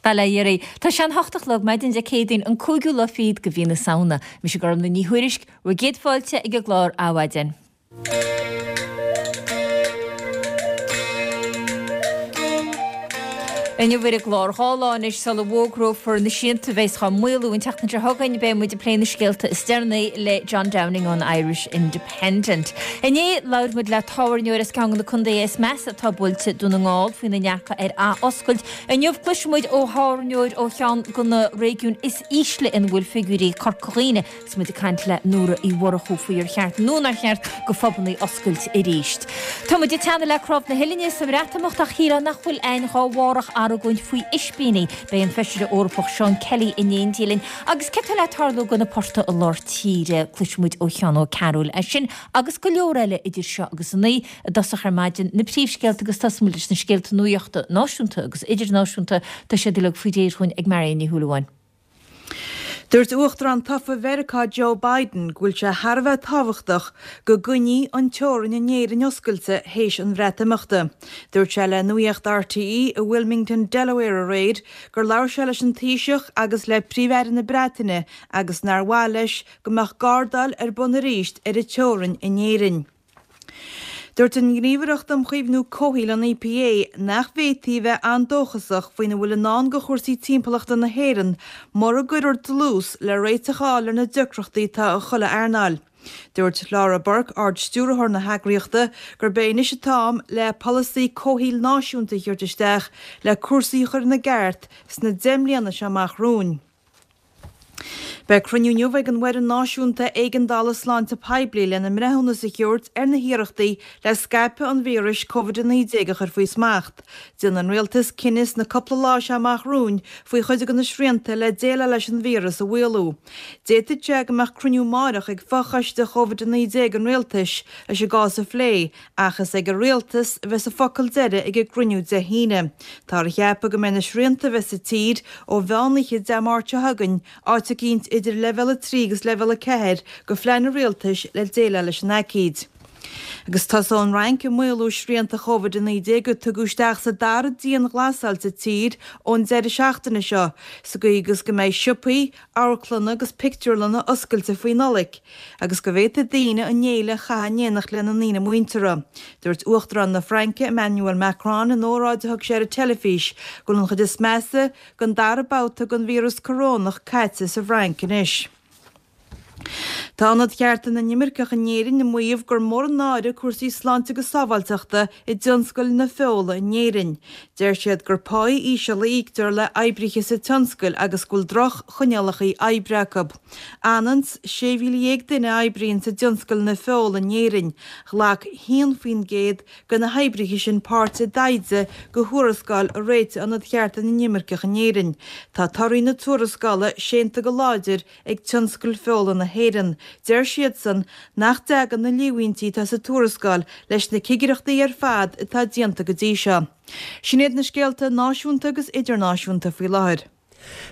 Bail ó Dhia oraibh. Tá sé an hocht a chlog, maidin Dé Céadaoin, an cúigiú lá fichead de mhí na Samhna. Mise Gormlaith Ní Thuairisg, bhur gcéad fáilte ag an gclár Adhmhaidin. Inniu ar an gclár, 2 lá anois sula bhfógrófar na srianta a bheas dhá maolú an tseachtain seo chugainn, beidh muid ag plé na scéalta is deireanaí le John Downing ón Irish Independent. Inné, labhair muid le tábhairneoir as ceann de na contaetha is measa atá buailte, Dún na nGall, faoina ndearcadh ar athoscailt. Inniu, cloisfidh muid ó thábhairneoir ó cheann de na réigiúin is ísle ina bhfuil figiúirí, Corca Dhuibhne, Agus muid ag caint le Nóra Uí Mhurchú faoi ar cheart nó nár cheart go phubannaí oscailt arís. Tá muid ag teannadh le Cnámh na hUillinne sa mBreatimeacht ach shílfeá nach bhfuil a'inn dhá bharr ach argóint faoi ispíní. Beidh an Feisire Eorpach Seán Kelly in éindí linn. Agus céard tá le tarlú go na portaigh i lár tíre? Cloisfidh muid ó Sheán Ó Cearúil é sin agus go leor eile idir seo agus a naoi i dtosach ar maidin. Na príomhscéalta agus tosóidh muid leis na scéalta nuachta náisiúnta agus idirnáisiúnta. Tá siad uilig faoi réir dhúinn ag Marion Ní Shúilleabháin. Dúirt Uachtarán tofa Mheiriceá Joe Biden go bhfuil sé thar a bheith tábhachtach go gcoinní an teorainn in Éirinn oscailte théis an Bhreatimeachta. Dúirt sé le Nuacht RTÉ i Wilmington, Delaware aréir gur labhair sé leis an Taoiseach agus le Príomh-Aire na Breataine agus nár mhaith leis go mbeadh gardáil ar bun arís ar an teorainn in Éirinn. Dúirt an Ghníomhaireacht um Chaomhnú Comhshaoil, an EPA, nach bhféadfaí a bheith an-dóchasach faoina bhfuil i ndán do chúrsaí timpeallachta na hÉireann mura gcuirfear dlús le réiteach a fháil ar na deacrachtaí atá i chuile earnáil. Dúirt Laura Burke, Ard-Stiúrthóir na heagraíochta, gurb é anois an t-am le polasaí comhshaoil náisiúnta a thabhairt isteach le cúrsaí a chur ina gceart sna 10 mbliana seo amach romhainn. Beidh cruinniú inniu ag an bhFoireann Náisiúnta Éigeandála Sláinte Poiblí lena mbreithiúnas a thabhairt ar na hiarrachtaí le scaipeadh an víris Covid-19 a chur faoi smacht. Déanfaidh an Rialtas cinneadh sna cúpla lá seo amach romhainn faoi chuid de na srianta le déileáil leis an víreas a mhaolú. D'fhéadfadh sé go mbeadh cruinniú amáireach ag fochoiste Covid-19 an Rialtais leis an gcás a phlé Ach is ag an Rialtas a bheas an focal deiridh ag an gcruinniú Dé hAoine. Táthar a cheapadh go mbeidh na srianta a bheas sa tír ó mheán oíche Dé Máirt seo chugainn áit eicínt idir leibhéal 3 agus leibhéal 4 de phlean an Rialtais le déileáil leis an aicíd. Agus tosóidh an Fhrainc ag maolú srianta Covid-19 a tugadh isteach sa dara dianghlasáil sa tír ón deireadh seachtaine seo, sa gcaoi agus go mbeidh siopaí, amharclanna agus pictiúrlanna oscailte faoi Nollaig agus go bhféadfaidh daoine an fhéile a chaitheamh in éineacht lena ndaoine muinteartha. Dúirt Uachtarán na Fraince, Emmanuel Macron, in óráid a thug sé ar an teilifís go bhfuil an chuid is measa den dara babhta den víreas corónach caite sa bhFrainc anois. Tá Ionad Chearta na nImirceach in Éirinn ag maíomh gur mór an náire cúrsaí sláinte agus sábháilteachta i dtionscal na feola in Éirinn. Deir siad gur páí íseal a íoctar le oibrithe sa tionscal agus go bhfuil droch-choinníollacha oibre acu. Ionann 's 16,000 duine a oibríonn sa dtionscal na feola in Éirinn. Ghlac 1% de na hoibrithe sin páirt i dtaighde do thuarascáil a réitigh Ionad Chearta na nImirceach in Éirinn. Tá torthaí na tuarascála séanta go láidir ag tionscal feola na hÉireann. Deir siadsan nach dtagann na líomhaintí atá sa tuarascáil leis na cigireachtaí ar fad atá déanta go dtí seo. Sin iad na scéalta náisiúnta agus idirnáisiúnta faoi láthair.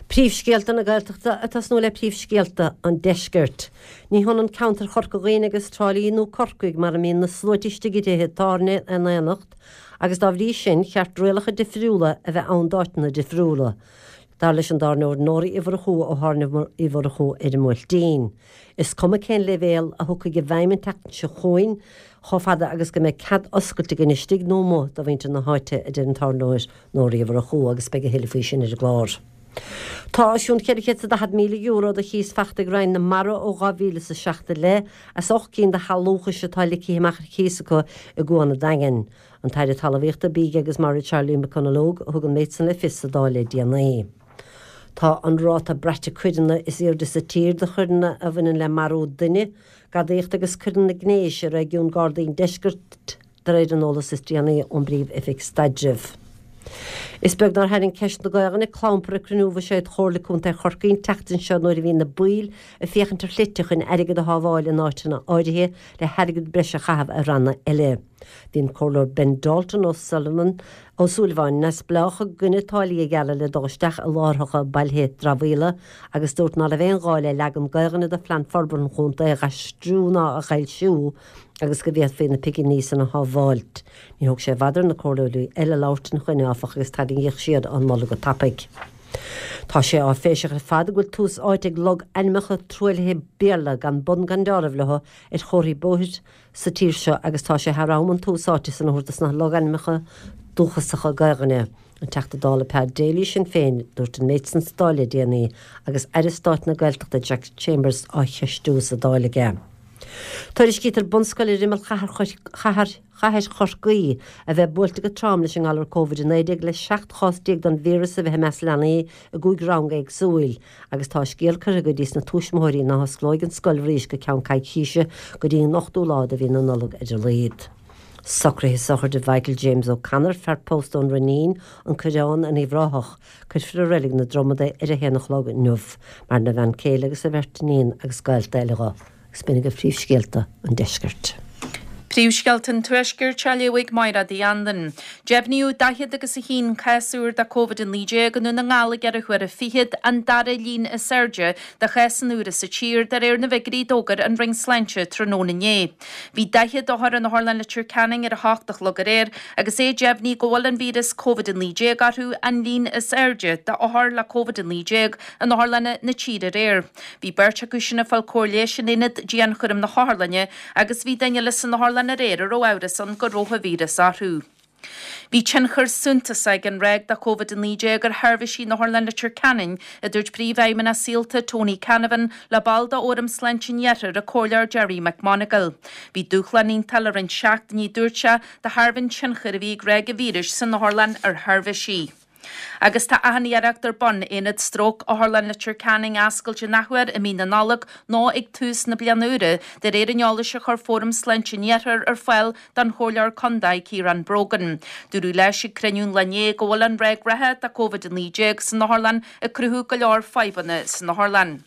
Príomhscéalta na Gaeltachta ag tosnú le príomhscéalta an Deiscirt. Ní hionann ceantar Chorca Dhuibhne agus Trá Lí nó Corcaigh mar a mbíonn na sluaite istigh i dtithe tábhairne in aonacht agus dá bhrí sin cheart rialacha difriúla a bheith ann d'áiteanna difriúla. Dar leis an dtábhairneoir Nóra Uí Mhurchú ó Thábhairne Uí Mhurchú ar an mBuailtín, is cuma cén leibhéal a thiocfaidh i bhfeidhm an tseachtain seo chugainn, chomh fada agus go mbeidh cead oscailte againn istigh nó amuigh do mhuintir na háite, a deir an tábhairneoir Nóra Uí Mhurchú, agus beidh a thuilleadh faoi sin ar an gclár. Tá os cionn €440,000 de chíos fachta ag Roinn na Mara ó 2007 i leith as 8 gcinn de shealúchais atá ligthe amach ar cíos acu i gCuan an Daingin. An tAire Talmhaíochta, Bídh agus Mara Charlie McConalogue a thug an méid san le fios sa Dáil le déanaí. Tá an ráta braite coireanna is airde sa tír do choireanna a bhaineann le marú duine, gadaíocht agus coireanna gnéis i réigiún Gardaí an Deiscirt de réir an eolas is déanaí ón bPríomh-Oifig Staidrimh. Is beag nár tharraing ceist na Gaolainne clampar ag cruinniú Bhuiséad Chomhairle Contae Chorcaí an tseachtain seo nuair a bhí na baill ag féachaint ar shlite chun airgead a shábháil in áiteanna áirithe le hairgead breise a chaitheamh ar ranna eile. Bhí an Comhairleoir Ben Dalton Ó Sullivan, Ó Súilleabháin, Neamhspleách i gcoinne táillí a ghearradh le dul isteach i láithreacha bailithe dramhaíola agus dúirt ná raibh aon ghá le leagan Gaolainne de Phlean Forbartha an Chontae a dh'aistriú ná a dh'fhoilsiú agus go bhféadfaí na piginí san a shábháilt. Níor thóg sé i bhfad ar na comhairleoirí eile labhairt ina choinne áfach agus tarraingíodh siar an moladh go tapaidh. Tá sé áiféiseach ar fad go bhfuil tús áite ag logainmneacha truaillithe Béarla gan bun gan deáramh leo ar chomharthaí bóthair sa tír seo agus tá sé thar am an tús áite san a thabhairt dos na logainmneacha dúchasacha Gaelainne. An Teachta Dála Peadar Daly, Sinn Féin, dúirt an méid san sa Dáil le déanaí agus Aire Stáit na Gaeltachta Jack Chambers á cheistiú sa Dáil aige. Tuairiscítear bunscoil ar imeall chathair Chathair Chorcaí a bheith buailte go trom leis an ngalar Covid-19 le 17 chás den víreas a bheith i measc leanaí i gcúig rang éagsúil agus tá scéal curtha go dtí sna tuismitheoirí ná hosclóidh an scoil arís go ceann coicíse go dtí an 8ú lá de mhí na Nollag ar a laghad. Socruithe sochraide Mhichael James O'Connor, fear pósta ón Rinnín, An Coireán in Uíbh Ráthach, Cuirfear i Reilig na Dromad é ar a haon a chlog inniu. Maireann a bhean céile agus a bheirt iníon agus gaolta eile dho. Agus b'in agaibh príomhscéalta an deiscirt. Príomhscéalta an Tuaiscirt á léamh ag Máire Uí Anluain. Deimhníodh 40 agus 1 cás úr de Covid-19 i nDún na nGall i gceithre huaire fichead, an dara líon is airde de chásanna úra sa tír, de réir na bhfigiúirí a d'fhógair an Roinn Sláinte tráthnóna inné. Bhí 40 othar in Otharlann Leitir Ceanainn ar a hocht a chlog aréir agus é deimhnithe go bhfuil an víreas Covid-19 orthu, an líon is airde d'othair le Covid-19 in otharlanna na tíre aréir. Bhí beirt acu sin ag fáil cóir leighis in aonad dianchúraim na hotharlainne agus bhí duine eile san otharlann aréir a raibh amhras ann go raibh an víreas orthu. Bhí tionchar suntasach ag an ráig de Covid-19 ar sheirbhísí in Otharlann Leitir Ceanainn, a dúirt Príomhfheidhmeannach Saolta, Tony Canavan, le ball de Fhóram Sláinte an Iarthair, an Comhairleoir Gerry McMonagle. Bhí dúshlán iontach le roinnt seachtainí, a dúirt sé, de thairbhe an tionchair a bhí ag ráig an víris san otharlann ar sheirbhísí. Agus tá achan iarracht ar bun Aonad Stróc Otharlann Leitir Ceanainn a oscailt an athuair i mí na Nollag nó ag tús na bliana úire, de réir an eolais a chuir Fóram Sláinte an Iarthair ar fáil don Chomhairleoir Contae Ciarán Brogan. Dúradh leis ag cruinniú an lae inné go bhfuil an ráig reatha de Covid-19 san otharlann ag cruthú go leor fadhbanna san otharlann.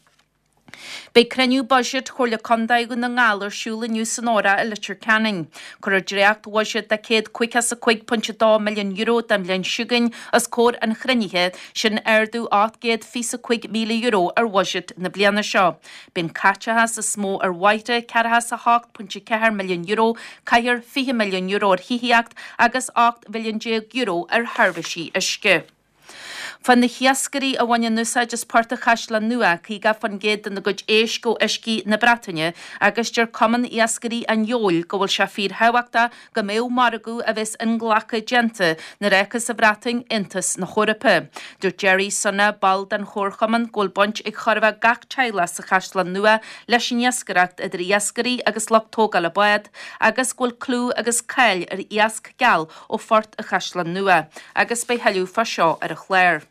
Beidh cruinniú buiséid Chomhairle Contae Dhún na nGall ar siúl inniu san Óra i Leitir Ceanainn. Cuirfear dréacht-bhuiséad de €155.2 milliún don bhliain seo chugainn os comhair an chruinnithe, sin ardú €825,000 ar bhuiséad na bliana seo. Beidh an caiteachas is mó ar bhóithre, €48.4 milliún, caithfear €20 milliún ar thithíocht agus €18 mhilliún ar sheirbhísí uisce. Fuair na hiascairí a bhaineann úsáid as Port an Chaisleáin Nua 50% dena gcuid éisc ó uiscí na Breataine agus deir Cumann Iascairí an Fheoil go bhfuil sé fíorthábhachtach go mbeadh margadh a bheas inghlactha déanta nuair a fhágfas an Bhreatain Aontas na hEorpa. Dúirt Gerry Sunna, ball den chomharchumann, go bhfuil baint ag chóir a bheith gach teaghlach sa Chaisleán Nua leis an iascaireacht idir iascairí agus lucht tógála bád agus go bhfuil clú agus cáil ar iasc geal ó Phort an Chaisleáin Nua agus beidh thuilleadh fá seo ar an chlár.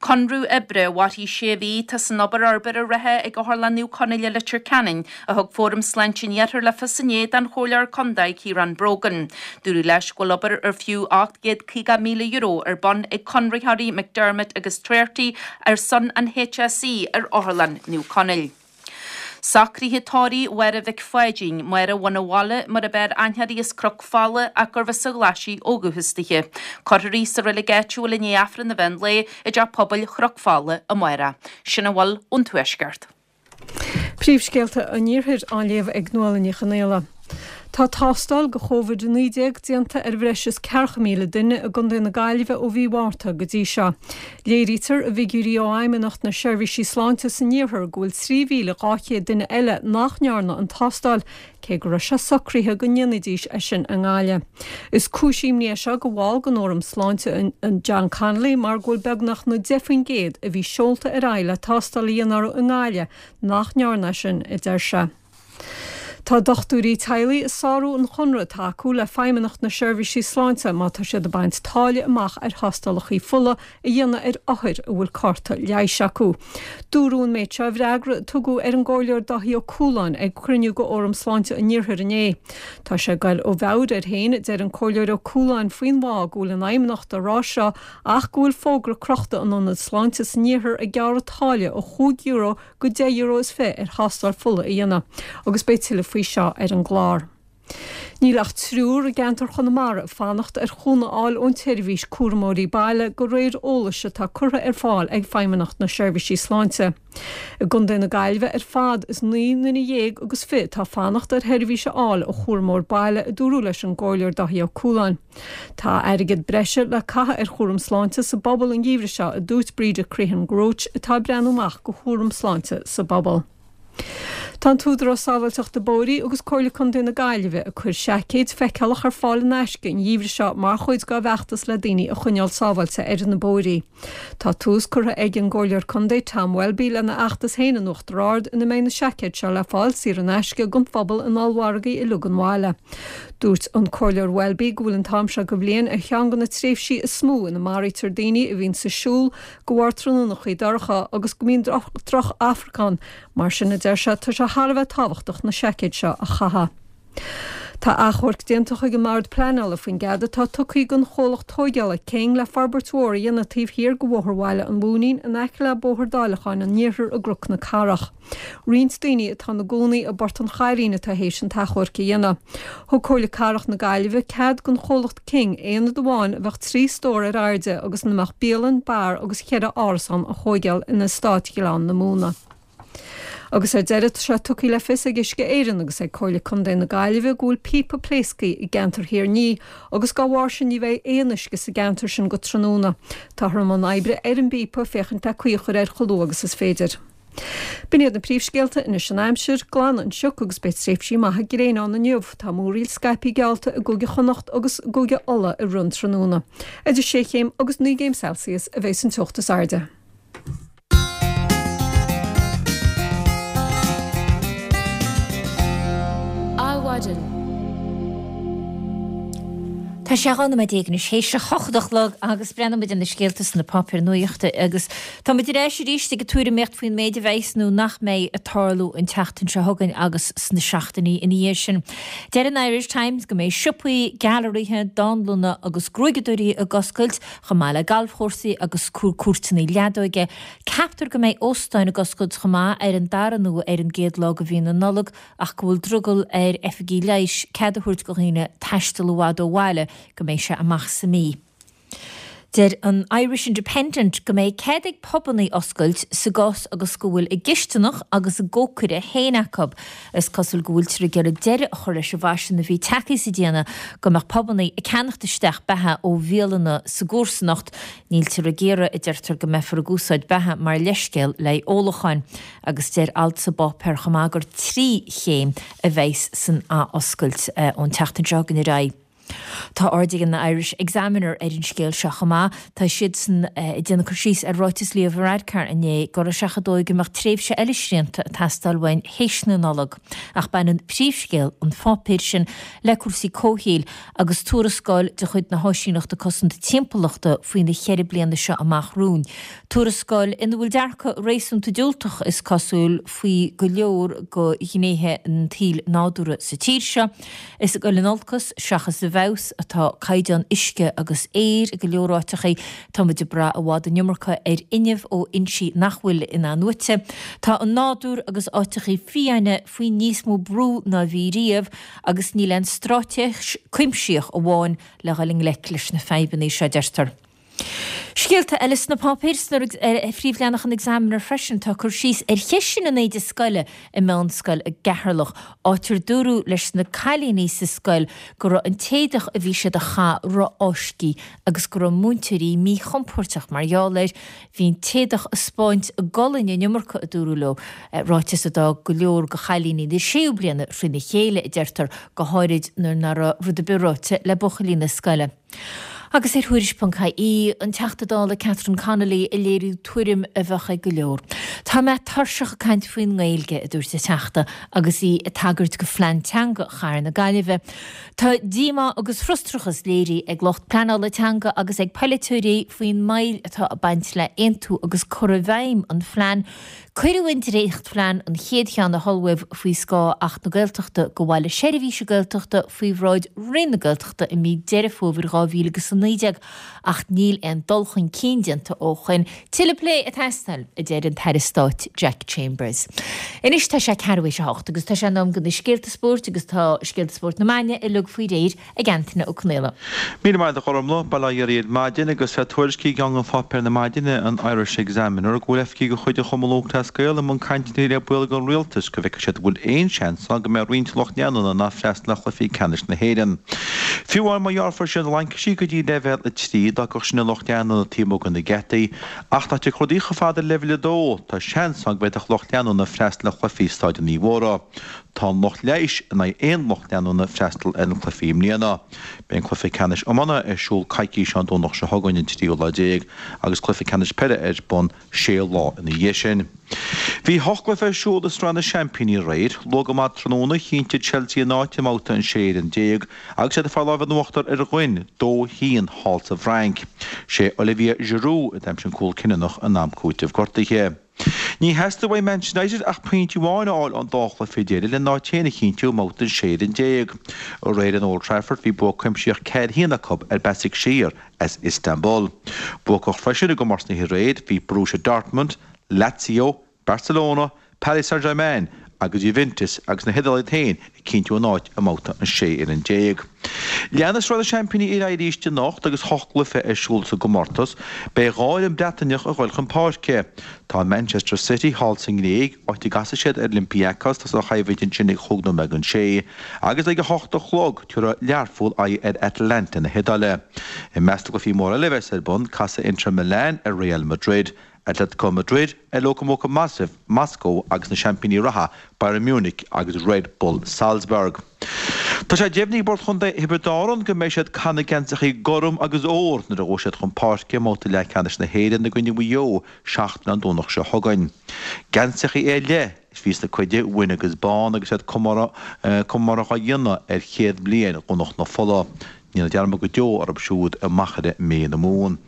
Conradh oibre a mhairfidh sé mhí atá san obair forbartha reatha ag Otharlann Naomh Conaill i Leitir Ceanainn, a thug Fóram Sláinte an Iarthair le fios inné don Chomhairleoir Contae Ciarán Brogan. Dúradh leis go bhfuil obair ar fiú €850,000 ar bun ag conraitheoirí McDermott agus Treorchy ar son an HSE ar Otharlann Naomh Conaill. Socruithe tórraimh Mháire Mhic Pháidín, Máire Bhun a' Bhaile mar ab fhearr aithne uirthi as Cnoc Fola ach gurbh as an Ghlaisigh ó dhúchas dithe. Cuirfear í sa reilig áitiúil i ndiaidh Aifreann an mheán lae i dTeach Pobail Chnoc Fola amárach. Sin a bhfuil ón Tuaisceart. Príomhscéalta an Iarthair á léamh ag Nuala Ní Chonaola. Tá tástáil do Chóvid-19 déanta ar bhreis is 40,000 duine i gContae na Gaillimhe ó mhí Mhárta go dtí seo. Léirítear i bhfigiúirí ó Fheidhmeannacht na Seirbhísí Sláinte san Iarthar go bhfuil 3,200 duine eile nach ndearna an tástáil, cé go raibh sé socraithe go ndéanfaidís é sin i nGaillimh. Is cúis imní é seo do bhall den Fhóram Sláinte, John Connolly, mar go bhfuil beagnach na 10% a bhí seolta ar aghaidh le tástáil a dhéanamh orthu i nGaillimh nach ndearna é sin, a deir sé. Tá dochtúirí teaghlaigh ag sárú an chonradh atá acu le Feidhmeannacht na Seirbhísí Sláinte má tá siad ag baint táille amach ar thástálacha fola a dhéanamh ar othair a bhfuil cárta leighis acu. Dúradh an méid seo i bhfreagra a tugadh ar an gComhairleoir Dáithí Ó Cualáin ag cruinniú de Fhóram Sláinte an Iarthair inné. Tá sé ag goil ó mheabhair air féin, a deir an Comhairleoir Ó Cualáin faoin bhfáth go bhfuil an Fheidhmeannacht á rá seo ach go bhfuil fógra crochta in ionad sláinte san iarthar ag gearradh táille ó €5 go €10 is 20 ar thástáil fola a dhéanamh agus beidh tuilleadh faoi seo ar an gclár. Níl ach triúr i gceantar Chonamara ag fanacht ar chúnamh a fháil ón tseirbhís cúramóirí baile de réir eolais atá curtha ar fáil ag Feidhmeannacht na Seirbhísí Sláinte. I gContae na Gaillimhe ar fad is 19 nduine agus 20 atá ag fanacht ar sheirbhís a fháil ó chúramóir baile, a dúradh leis an gComhairleoir Dáithí Ó Cualáin. Tá airgead breise le caitheamh ar chúram sláinte sa bpobal an geimhreadh seo, a dúirt Breda Crehan Roche atá ag breathnú amach do chúram sláinte sa bpobal. Tá an tÚdarás Sábháilteachta Bóithre agus Comhairle Contae na Gaillimhe ag cur seaicéid feiceálach ar fáil in aisce an gheimhreadh seo mar chuid dá bhfeachtas le daoine a choinneáil sábháilte ar na bóithrí. Tá tús curtha ag an gComhairleoir Contae Tom Welby lena fheachtas féin in Uachtar Ard ina mbeidh na seaicéid seo le fáil saor in aisce don phobal in ollmhargaí uilig an bhaile. Dúirt an Comhairleoir Welby go bhfuil an t-am seo de bhliain ar cheann de na tréimhsí is mó ina maraítear daoine a bhíonns ag siúl de bharr tráthnónachaí dorcha agus go mbíonn droch-amharc ann, mar sin, a deir sé, tá sé thar a bheith tábhachtach na seaicéid seo a chaitheamh. Tá achomharc déanta chuig an mBord Pleanála faoin gcead atá tugtha don chomhlacht tóigeála King le forbairt mhór a dhéanamh taobh thiar de Bhóthar Bhaile an Mhúinín in aice le Bóthar Dáileacháin an Iarthair i gCnoc na Cathrach. Roinnt daoine atá ina gcónaí i bPort an Chairín atá théis an t-achomharc a dhéanamh. Thug Comhairle Cathrach na Gaillimhe cead don chomhlacht King aonad amháin a bheadh 3 stór ar airde agus ina mbeadh bialann, beár agus cheithre árasán a thóigeáil in Eastát Ghleann na Móna. Agus ar deireadh, tá sé tugtha le fios ag Uisce Éireann agus ag Comhairle Contae na Gaillimhe go bhfuil píopa pléasctha i gceantar Thír an Fhia agus dá bharr sin ní bheidh aon uisce sa gceantar sin go tráthnóna. Táthar i mbun oibre ar an bpíopa féachaint le caoi a chur air chomh luath agus is féidir. B'in iad na príomhscéalta anois an aimsir, glanfaidh an sioc agus beidh tréimhsí maithe gréine ann inniu. Tá múraíl scaipthe geallta i gCúige Chonnacht agus i gCúige Uladh i rith an tráthnóna. Idir sé chéim agus 9 gcéim Celsius a bheas an teocht is airde. Adhmhaidin. Tá sé 12 nóiméad anois théis a hocht a chlog agus breathnóidh muid ar na scéalta sna páipéir nuachta agus Tá muid ar ais arís ag tuairimíocht faoin méid a bheas nó nach mbeidh ag tarlú an tseachtain seo chugainn agus sna seachtainí ina dhiaidh sin. Deir an Irish Times go mbeidh siopaí, gailearaithe, dánlanna agus gruaigeadóirí ag oscailt, chomh maith le galfchúrsaí agus cúirteanna leadóige. Ceaptar go mbeidh óstáin ag oscailt chomh maith ar an dara nó ar an gcéad lá de mhí na Nollag ach go bhfuil drogall ar oifigigh leighis cead a thabhairt do dhaoine taisteal i bhfad ó bhaile go mbeidh sé amach sa mí. Deir an Irish Independent go mbeidh cead ag pubannaí oscailt sa gcás agus go bhfuil a gcisteanach agus a gcócaire féin acu. Is cosúil go bhfuiltear ag iarraidh deireadh a chur leis an bhfaisean a bhí tagtha sa déanamh go mbeadh pubannaí ag ceannacht isteach beatha ó bhialanna sa gcomharsanacht. Níltear ag iarraidh, a deirtear, go mbeifear ag úsáid beatha mar leithscéal le haghaidh ólacháin. Agus deir alt sa bpáipéar chomh maith gur trí chéim a bheas san athoscailt ón tseachtain seo chugainn ar aghaidh. Tá aird ag an Irish Examiner ar an scéal seo chomh maith. Tá siadsan ag déanamh cur síos ar ráiteas Leo Varadkar inné go raibh sé chomh dóigh go mbeadh tréimhse eile srianta ag teastáil uainn théis na Nollag. Ach baineann príomhscéal an pháipéir sin le cúrsaí comhshaoil agus tuarascáil de chuid na hÁisíneachta Cosanta Timpeallachta faoi na cheithre bliana seo amach romhainn. Tuarascáil ina bhfuil dearcadh réasúnta diúltach, is cosúil, faoi go leor de ghnéithe an tsaoil nádúrtha sa tír seo. Is ag dul in olcas seachas i bhfeabhas atá caighdeán uisce agus aeir i go leor áiteachaí. Tá muid ag brath i bhfad an iomarca ar fhuinneamh ó fhoinsí nach bhfuil in-athnuaite. Tá an nádúr agus áiteachaí fiáine faoi níos mó brú ná bhí riamh agus níl aon straitéis cuimsitheach amháin le dhul i ngleic leis na fadhbanna seo, deirtear. Scéalta eile sna páipéir, ar phríomhleathanach an Examiner freisin, tá cur síos ar cheisteanna an éide scoile i meánscoil i gCeatharlach, áit ar dúradh leis na cailíní sa scoil go raibh an t-éadach a bhí siad a chaitheamh ró-fháiscthe agus go raibh múinteoirí míchompóirteach mar gheall air. Bhí an t-éadach ag 'spáint a gcolainn an iomarca, a dúradh leo, ráiteas a d'fhág go leor de chailíní na séú bliana thrína chéile, a deirtear, go háirid nuair nach raibh rud ar bith ráite le buachaillí na scoile. Agus ar Thuairisc.ie, an Teachta Dála Catherine Connolly ag léiriú tuairim a bheadh ag go leor. Tá mé tuirseach ag caint faoin nGaeilge, a dúirt an Teachta agus í ag tagairt do phlean teanga Chathair na Gaillimhe. Tá díomá agus frustrachas léirithe ag lucht pleanála teanga agus ag polaiteoirí faoin moill atá ag baint le haontú agus cur i bhfeidhm an phlean Cuireadh an dréachtphlean, an chéad cheann a hullmhaíodh faoi scáth Acht na Gaeltachta do Bhaile Seirbhíse Gaeltachta, faoi bhráid Roinn na Gaeltachta i mí Deireadh Fómhair 2019. Covid-19 ach níl aon dul chun cinn déanta ó shoin. Tuilleadh plé ag teastáil, a deir an tAire Stáit Jack Chambers. Anois tá sé ceathrú théis a hocht agus tá sé in am do na scéalta spóirt agus tá scéalta spóirt na maidine uilig faoi réir ag Antaine Ó Conaola. Míle maith agat a Ghormlaith, bail ó Dhia oraibh ar maidin agus tá tuairisc i gceann de pháipéir na maidine, an Irish Examiner, go bhfuil oifigigh de chuid an Chumann Lúthchleas Gael i mbun cainteanna le baill den Rialtas go bhfeicfidh siad an bhfuil aon seans ann go mbeidh roinnt lucht leanúna in ann freastal ar chluichí ceannais na hÉireann. Fiú amháin má ghearrfar siar na laincisí go dtí leibhéal 3, d'fhágfadh sin an lucht leanúna taobh amuigh de na geataí, ach dá dtiocfadh rudaí chomh fada le leibhéal 2, tá seans ann go bhféadfadh lucht leanúna freastal ar chluichí i Staid an Uí Mhórdha. Tá an lucht leighis in aghaidh aon lucht leanúna freastal ar na cluichí i mbliana. Beidh an cluiche ceannais iomána ar siúl coicís ón Domhnach seo chugainn, an tríú lá déag, agus cluiche ceannais peile ar bun sé lá ina dhiaidh sin. Bhí hocht gcluiche ar siúl i Sraith na Seaimpíní aréir. Luath go maith tráthnóna, chinntigh Chelsea a n-áit i mbabhta an 16 fhoireann agus iad ag fáil lámh in uachtar ar Rennes 2, 1 thall sa bhFrainc. Sé Olivier Giroud a d'aimsigh an cúl cinniúnach in am cúitimh gortaithe. Ní theastaigh uaidh Manchester United ach pointe amháin a fháil ón dá chluiche deiridh lena n-áit féin a chinntiú i mbabhta an 16 fhoireann. Aréir in Old Trafford bhí bua cuimsitheach 4-1 acu ar Basaksehir as Istanbul. Buacach freisin i gcomórtas na hoíche aréir bhí Borussia Dortmund, Lazio, Barcelona, Paris Saint-Germain agus Juventus agus na hIodálaigh iad féin ag cinntiú a n-áit i mbabhta an 16 fhoireann. Leanfaidh Sraith na Seaimpíní ar aghaidh arís anocht agus hocht gcluiche ar siúl sa gcomórtas. Beidh 2 fhoireann Breataineach ag dul chun páirce. Tá Manchester City thall sa nGréig, áit a gcasfaidh siad ar Olympiacos, tá an choimhlint ansin ag chúig nóiméad don sé, agus ag a hocht a chlog tabharfaidh Learpholl aghaidh ar Atalanta na hIodáile. I measc na gcluichí móra eile a bheas ar bun, casfaidh Inter Milan ar Real Madrid, Atletico Madrid ar Lokomotiv Moscow agus na seaimpíní reatha Bayern Munich agus Red Bull Salzburg. Tá sé deimhnithe ag Bord Chontae Thiobraid Árann go mbeidh siad ag caitheamh na geansachaí gorm agus ór nuair a ghabhfaidh siad chun páirce i mbabhta leathcheannais na hÉireann i gcoinne Mhaigh Eo seachtain ón Domhnach seo chugainn. Geansachaí ar leith a bhí sna cuid bhuí agus bán agus iad comóradh á dhéanamh ar chéad bhliain Dhomhnach na Fola. Ní dhéanfar dearmad go deo orthu siúd i Machaire Méith na Mumhan.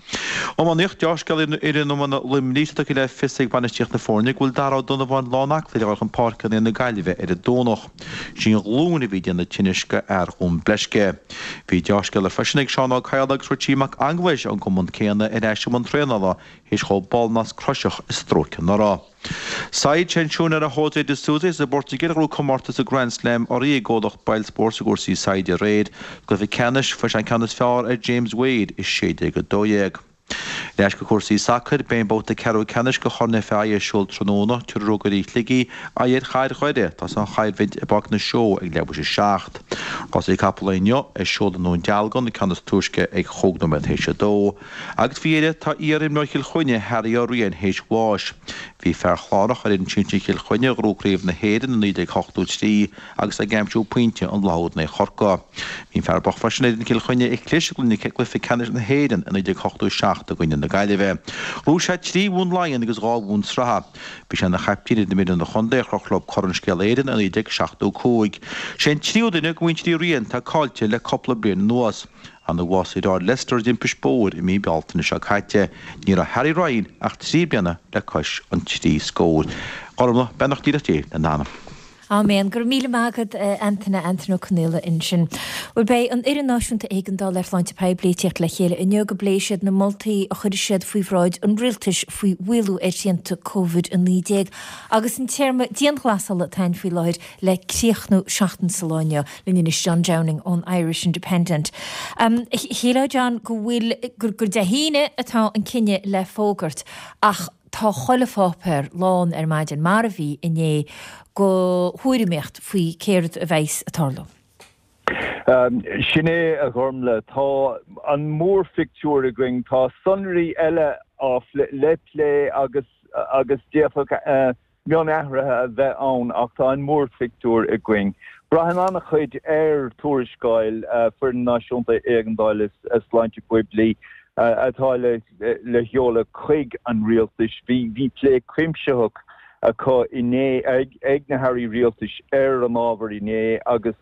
Iománaíocht, Deá-scéala ar fhoireann iomána Luimnigh, tá tugtha le fios ag bainistíocht na foirne go bhfuil Darragh Ó Donnabháin lán-aclaí le dhul chun páirce in aghaidh na Gaillimhe ar an Domhnach. Sí an ghlúin a bhí ag déanamh tinnis go fhear Dhún Bleisce. Bhí deá-scéala freisin ag Seán Ó Cadhla agus Richie Mac Aonghuis ón gcumann céanna ar ais i mbun traenála théis dhó ballnasc croiseach i stróiceadh anuraidh. Saighead sé an siúinéara José de Sousa as an bPortaingéil a ghnóthaigh comórtas an Grand Slam urraithe ag gcomhlacht Boylesports i gcúrsaí saighde aréir. Sa gcluiche ceannais, fuair sé an ceann is fearr ar James Wade, 16-12. Ar ais go cúrsaí sacair, beidh an babhta ceathrú ceannais de Chorn FAI ar siúl tráthnóna. Tabharfaidh Rógairí Shligigh aghaidh ar Chathair Dhoire. Tá an choimhlint i bPáirc na Seó ag leathuair théis a 7. Rásaí capall inniu ar siúl i nDún Dealgan, an ceann is túisce ag chúig nóiméad théis a dó. Agus faoi dheireadh, tá iar-imreoir Chill Chainnigh, Harry Ó Riain, théis bháis. Bhí fear Chlárach ar fhoireann sinsir Chill Chainnigh a ghnóthaigh Craobh na hÉireann i 1983 agus ag aimsiú pointe an lá úd in aghaidh Chorcaí. Bhí an fear bocht freisin ar fhoireann Chill Chainnigh a chlis i gcluiche ceannais na hÉireann i 1987 i gcoinne na Gaillimhe. Ghnóthaigh sé 3 bhonn Laighean agus 2 bhonn sraithe. Bhí sé ina chaiptín ar an bhfoireann idirchontae a chroch leo Corn Scéal Éireann i 1975. Sé an tríú duine de mhuintir Uí Riain atá caillte le cúpla bliain anuas. Nuair a bhásaigh a dheartháir Lester i dtimpist bóthair i mí Bealtaine seo caite, ní raibh Harry Ryan ach 3 bliana le cois an trí scóir. Gormlaith, beannacht díreach Dé lena anam. Áiméan. Go raibh míle maith agat, a Antaine, Antaine Ó Conaola ansin. Bhuel, beidh an Fhoireann Náisiúnta Éigeandála ar Shláinte Poiblí ag tíocht le chéile inniu go bpléifidh siad na moltaí a chuirfidh siad faoi bhráid an Rialtais faoi mhaolú ar shrianta Covid-19 agus an téarma dianghlasála atá ann faoi láthair le críochnú seachtain sa lá inniu. Linn anois John Downing ón Irish Independent. Shílfeá John go bhfuil, gur Dé hAoine atá an cinneadh le fógairt ach tá chuile pháipéar lán ar maidin, mar a bhí inné, go thuairimíocht faoi céard a bheas ag tarlú. Sin é, a Ghormlaith. Tá an mórphictiúr againn. Tá sonraí eile á le plé agus agus d'fhéadfadh mionathruithe a bheith ann ach tá an mórphictiúr againn. Braitheann an-chuid ar tuarascáil Foireann Náisiúnta Éigeandála Sláinte Poiblí atá le sheoladh chuig an Rialtais. Bhí plé cuimsitheach acu inné ag na hairí rialtais ar an ábhar inné agus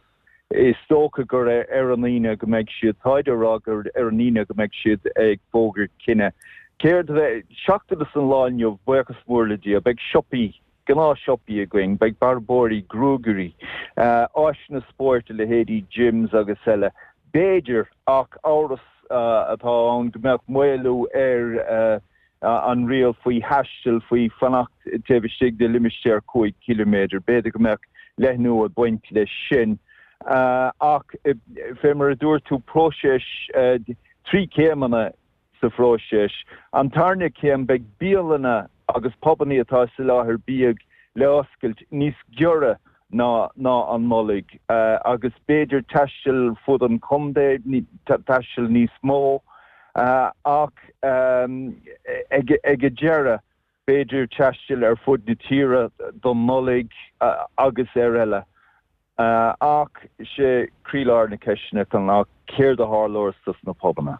Is dócha gur ar an Aoine go mbeidh siad, táid á rá gur ar an Aoine go mbeidh siad ag fógairt cinneadh. Céard a bheidh, seachtain is an lá inniu, buíochas mór le Dia, beidh siopaí, gnáth-shiopaí againn, beidh bearbóirí, gruagairí, áiseanna spóirt a leithéidí gyms agus eile, b'fhéidir, ach amhras. atá ann go mbeadh maolú ar an riail faoi thaisteal, faoi fanacht taobh istigh de limistéar 5 chiliméadar. B'fhéidir go mbeadh leathnú ag baint leis sin. Ach fé mar a dúirt tú, próiseas, 3 céimeanna sa phróiseas. An tarna céim, beidh bialanna agus pubannaí atá ag soláthar bídh le oscailt níos giorra ná ná an Nollaig agus b'fhéidir taisteal fud an chontae, taisteal níos mó ach ag ag an deireadh b'fhéidir taisteal ar fud na tíre don Nollaig agus ar eile. Ach sé croílár na ceisteanna ná céard a tharlós dos na pubanna?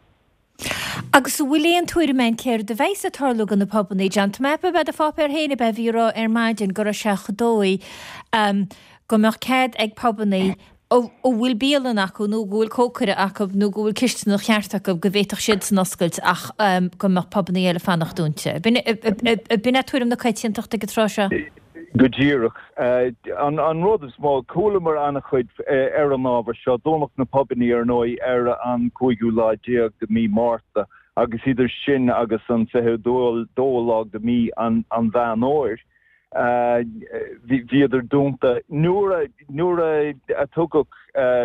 Agus an bhfuil aon tuairim a'inn céard a bheas ag tarlú do na pubannaí, John? Tá mé ag ceapadh ab é do pháipéar féin ab ea a bhí ag rá ar maidin go raibh sé chomh dóigh go mbeadh cead ag pubannaí a bhfuil bialann acu nó go bhfuil cócaire acu nó go bhfuil cisteanach cheart acu go bhféadfadh siadsan oscailt ach go mbeadh pubannaí eile fanacht dúnta. B'in é tuairim na coitiantachta ag an tráth seo? Go díreach. An rud is mó, chualamar an-chuid ar an ábhar seo, dúnadh na pubannaí ar ndóigh ar an cúigiú lá déag de mí Márta agus idir sin agus an 22 lá de mí an Mheán Fhómhair bhíodar dúnta. Nuair a tugadh,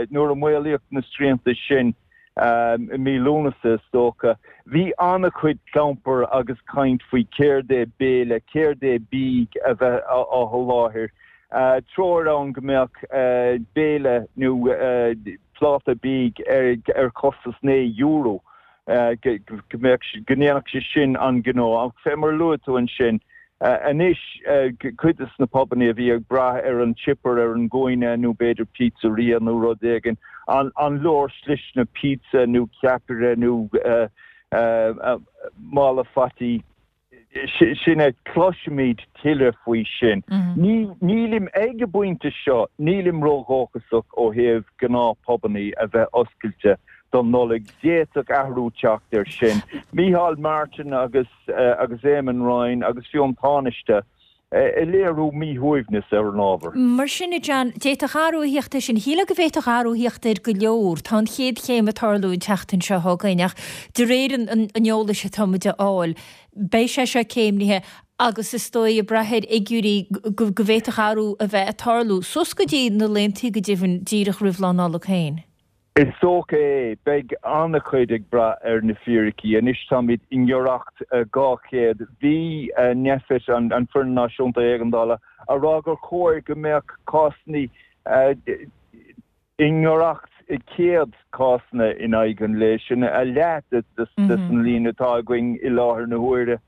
nuair a maolaíodh na srianta sin, i mí Lúnasa is dócha. Bhí an-chuid clampair agus caint faoi céard é béile, céard é bídh a bheith á sholáthar. Treoir ann go mbeadh béile nó pláta bídh ar chostas €9, go mbeadh, go ndéanfadh sé sin an gnó. Ach fé mar a luaigh tú ansin, Anois, cuid de na pubannaí a bhí ag brath ar an chipper ar an gcúinne nó b'fhéidir pizzeria nó rud éigin, an leor sliseanna pizza nó ceapaire nó mála fataí, sin é, cloisfimid tuilleadh faoi sin. Nílim, ag an bpointe seo, nílim ródhóchasach ó thaobh gnáth-phubannaí a bheith oscailte don Nollaig. D'fhéadfadh athrú teacht air sin. Micheál Martin agus. agus Eamon Ryan agus fiú an Tánaiste ag léiriú míshuaimhneas ar an ábhar. Mar sin, a John, d'fhéadfadh athrú a theacht air sin. Shílfeá go bhféadfadh athrú a theacht ar go leor. Tá an chéad chéim ag tarlú an tseachtain seo chugainn ach de réir an eolais atá muid a fháil, beidh sé seo céimnithe agus is dóigh ag brath ar fhigiúirí go bhféadfadh athrú a bheith ag tarlú suas go dtí na laethanta go deimhin díreach roimh Lá Nollag féin. Is dócha é. Beidh an-chuid ag brath ar na fíricí. Anois táimid i ngiorracht 200. Bhí Nphet, an Foireann Náisiúnta Éigeandála, a rá gur chóir go mbeadh cásanna i ngiorracht 100 cásanna in aghaidh an lae. Sin a leath des an líon atá againn i láthair na huaire.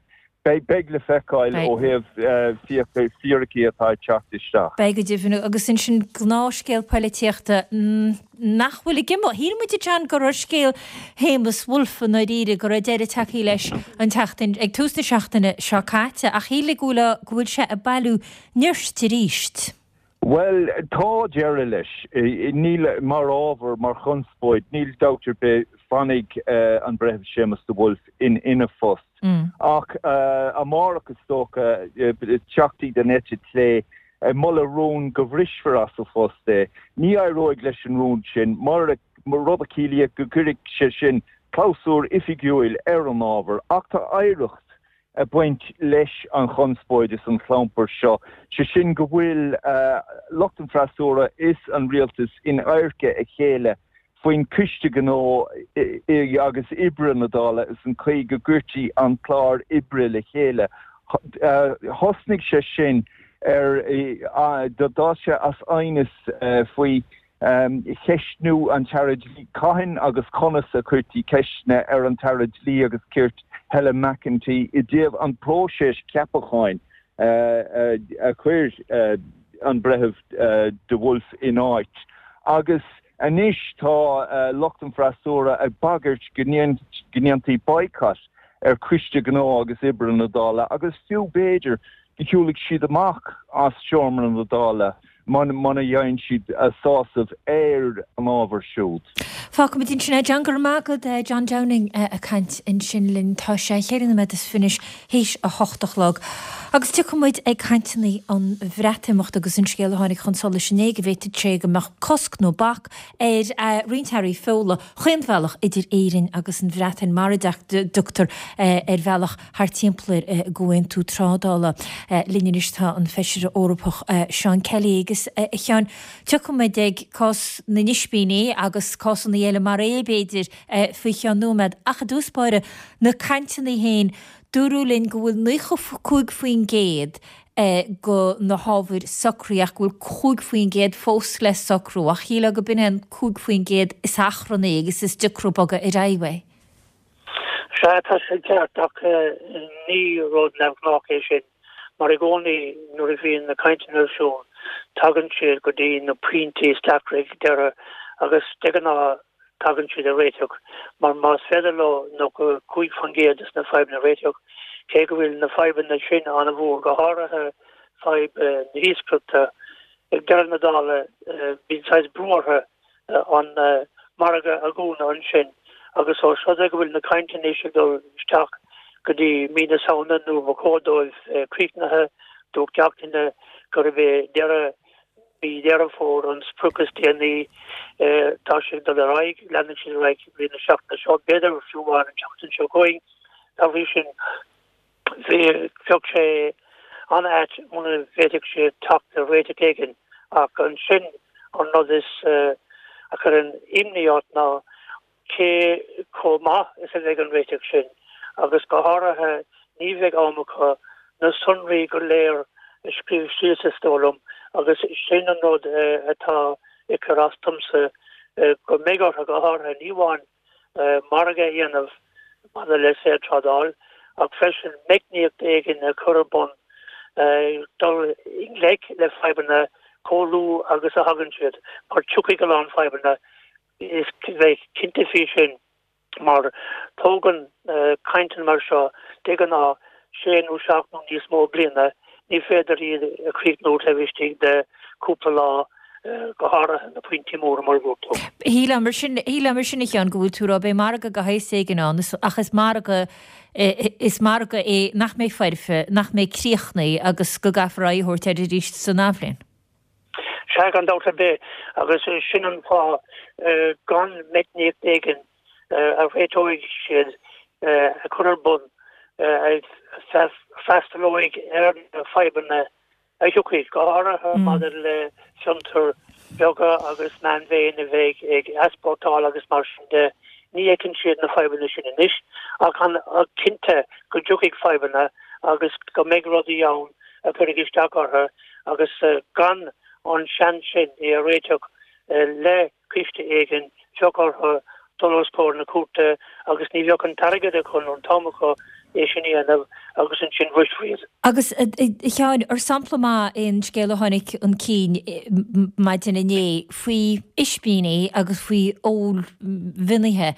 Beidh le feiceáil ó thaobh fíricí atá ag teacht isteach. Beidh go deimhin. Agus ansin gnáthscéal poilitíochta nach bhfuil ag imeacht. Shíl muid, a John, go raibh scéal Shéamus Woulfe i ndáiríre, go raibh deireadh tagtha leis an tseachtain, ag tús na seachtaine seo caite, ach shílfeá go bhfuil, go bhfuil sé ag bailiú nirt arís. Bhuel, tá deireadh leis. Níl, mar ábhar, mar chonspóid, níl dabht ar bith, fanfaidh an Breitheamh Séamus de Wolfe ina phost. Ach amárach, is dócha, teachtaí den eite chlé ag moladh rún go bhrisfear as a phost é. Ní éireoidh leis an rún sin, rud a chiallaíodh go gcuirfeadh sé sin clabhsúr oifigiúil ar an ábhar. Ach tá oidhreacht ag baint leis an chonspóid is an chlampar seo, sé sin go bhfuil lucht an freasúra is an rialtas in adharca a chéile faoin Coiste Gnó agus Oibre na Dála is an chaoi go gcuirtí an clár oibre le chéile. Thosnaigh sé sin ar, d'fhás sé as aighneas faoi cheistniú an tAire Dlí, cathain agus conas a chuirtí ceisteanna ar an tAire Dlí agus Cirt Helen McEntee i dtaobh an próiseas ceapacháin a chuir an Breitheamh de Wolfe in áit. Agus anois tá lucht an freasúra ag bagairt go ndéanfaí boycott ar Choiste Gnó agus Oibre na Dála agus fiú b'fhéidir go shiúlfaidh siad amach as seomra na Dála. muna bhfaigheann siad sásamh ar an ábhar siúd. Fágfaimid ansin é. John, go raibh maith agat. John Downing ag caint ansin linn. Tá sé cheithre nóiméad is fiche théis a hocht a chlog. Agus tiocfaidh muid ag cainteanna an Bhreatimeachta agus an scéal a tháinig chun solais inné go bhféadfadh sé go mbeadh cosc nó bac ar roinnt earraí feola chaon bhealach idir Éirinn agus an Bhreatain mara dtioctar ar bhealach thar timpeall air i gcomhaontú trádála. Linn anois tá an Feisire Eorpach Seán Kelly agus a Sheáin, tiocfaidh muid ag cás na n-ispíní agus cásanna eile mar é b'fhéidir faoi cheann nóiméad ach i dtús báire na cainteanna féin dúradh linn go bhfuil 95% de na hábhair socraithe ach go bhfuil 5% fós le socrú ach shílfeá go b'in é an 5% is achrannaí agus is deacra bogadh ar aghaidh uaidh. Sea, tá sé ceart ach ní rud neamhghnách é sin mar i gcónaí nuair a bhíonn na cainteanna ar siúl tagann siad go dtí na pointí is deacra ag deireadh agus de ghnáth tagann siad ar réiteach mar más féidir leo 95% de na fadhbanna a réiteach, cé go bhfuil na fadhbanna sin an-mhór, go háirithe fadhb na hiascaireachta, ag deireadh na dála bíonn saghas brú orthu an margadh a dhúnadh ansin agus ós rud é go bhfuil na cainteanna anois ag dul isteach go dtí mí na Samhna nuair ba chóir dóibh críochnaithe, dúirt gach duine gurb é deireadh mí Dheireadh Fómhair an sprioc is déanaí. Tá sé ag dul ar aghaidh, leanfaidh siad ar aghaidh i rith na seachtaine seo, b'fhéidir fiú amháin an tseachtain seo chugainn. Dá bhrí sin, bheadh sé an-ait muna bhféadfadh siad teacht ar réiteach éigin. Ach ansin an rud is a chuireann imní ort ná cé chomh maith is a bheidh an réiteach sin agus go háirithe ní bheidh am acu na sonraí go léir a scríobh síos is dóigh liom agus sin an rud atá ag cur as domsa go mbeidh orthu go háirithe ní amháin margadh a dhéanamh maidir le saorthrádáil ach freisin meicníocht éigin a chur ar bun dul i ngleic le fadhbanna chomh luath agus a thagann siad mar tiocfaidh a lán fadhbanna Is bheith cinnte faoi sin mar tógann cainteanna mar seo de ghnáth sé nó seacht nó níos mó bliana, ní féidir iad a chríochnú taobh istigh de chúpla lá, go háirithe na pointí móra mar a dúirt tú. Shílfeá mar sin, shílfeá mar sin a Sheáin go bhfuil tú ag rá beidh margadh de shaghas éigin ann ach is margadh, is margadh é nach mbeidh foirfe, nach mbeidh críochnaithe agus go gcaithfear aghaidh a thabhairt air arís san athbhliain. Sea, gan dabht ar bith, agus sin an fáth gan meicníocht éigin a réiteoidh siad a chur ar bun a freastalóidh ar na fadhbanna a thiocfaidh, go háirithe maidir le fiontair bheaga agus meánmhéide a bheidh ag easpórtáil agus mar sin de. Ní fheiceann siad na fadhbanna sin anois, ach cinnte go dtiocfaidh fadhbanna agus go mbeidh rudaí ann a chuirfidh isteach orthu. agus gan an seans sin é a réiteach le coiste éigin, bheadh orthu dul os comhair na cúirte agus ní bheadh an t-airgead acu nó an t-am acu é sin a dhéanamh agus ansin bhrisfí iad. Agus, a Sheáin, ar sampla maith é an scéal a tháinig chun cinn maidin inné faoi ispíní agus faoi fheoil mhionaithe,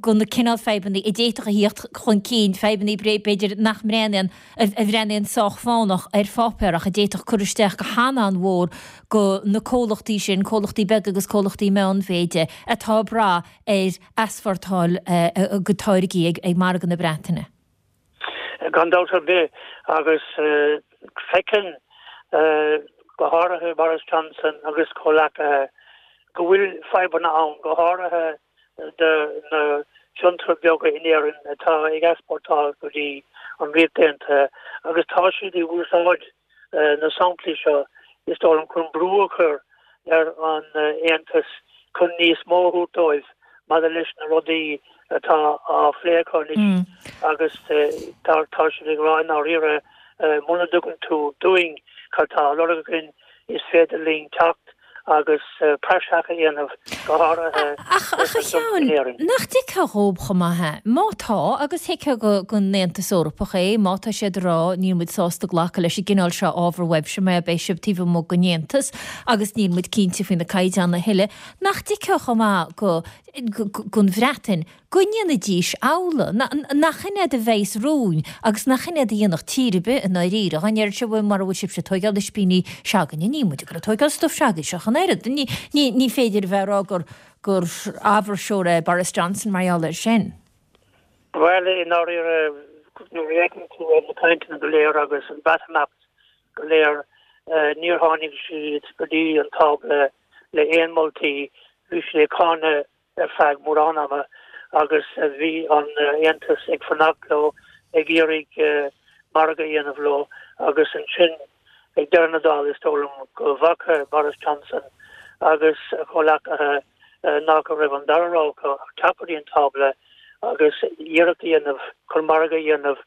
go na cineál fadhbanna a d'fhéadfadh a thíocht chun cinn, fadhbanna b'fhéidir nach mbreathnaíonn a bhreathnaíonn sách fánach ar pháipéar ach a d'fhéadfadh cur isteach go han-an-mhór go na comhlachtaí sin, comhlachtaí beaga agus comhlachtaí meánmhéide, atá ag brath ar easpórtáil a gcuid táirgí ag margadh na Breataine. Gan dabht ar bith, agus feiceann go háirithe Boris Johnson agus comhleacaithe go bhfuil fadhbanna ann, go háirithe do na fiontair beaga in Éirinn atá ag easpórtáil go dtí an Ríocht Aontaithe agus tá siad ag úsáid na samplaí seo, is dóigh liom, chun brú a chur ar an Aontas chun níos mó a thabhairt dóibh maidir leis na rudaí atá á phlé acu anois agus tá siad ag rá i ndáiríre muna dtugann tú dúinn cad tá á lorg againn, is féidir linn teacht agus praiseach a dhéanamh, go háirithe Ach, ach a Sheáin, nach dtuigfeá dhób chomh maith é? Má tá, agus thuigfeá don Aontas Eorpach é, má tá siad ag rá níl muid sásta glacadh leis an gcineál seo ábhar uaibhse mar beidh sibh taobh amuigh den Aontas agus níl muid cinnte faoi na caighdeáin a thuilleadh, nach dtuigfeá chomh maith go, don Bhreatain? Go ndéanfaidís amhlaidh. Nach in é do bheas romhainn agus nach in é do dhéanfadh tír ar bith i ndáiríre. Dá ndéarfadh sé, bhuel, mura bhfuil sibhse ag tóigeáil ispíní se'againne, níl muid ag dul ag tóigeáil stuif se'agaibhse ach an oiread. Ní féidir a bheith ag rá gur gur áibhirseoir é Boris Johnson mar gheall air sin. Bhuel, i ndáiríre, nuair a fhéachann tú ar na cainteanna go léir agus an Breatimeacht go léir, níor tháinig siad go dtí an tábla le aon moltaí. Bhí siad ag cáineadh ar feadh mórán ama agus bhí an Aontas ag fanacht leo, ag iarraidh margadh a dhéanamh leo agus ansin ag deireadh na dála is dóigh liom go bhfaca Boris Johnson agus a chomhleacaithe nach raibh an dara rogha acu ach teacht go dtí an tábla agus iarracht a dhéanamh chun margadh a dhéanamh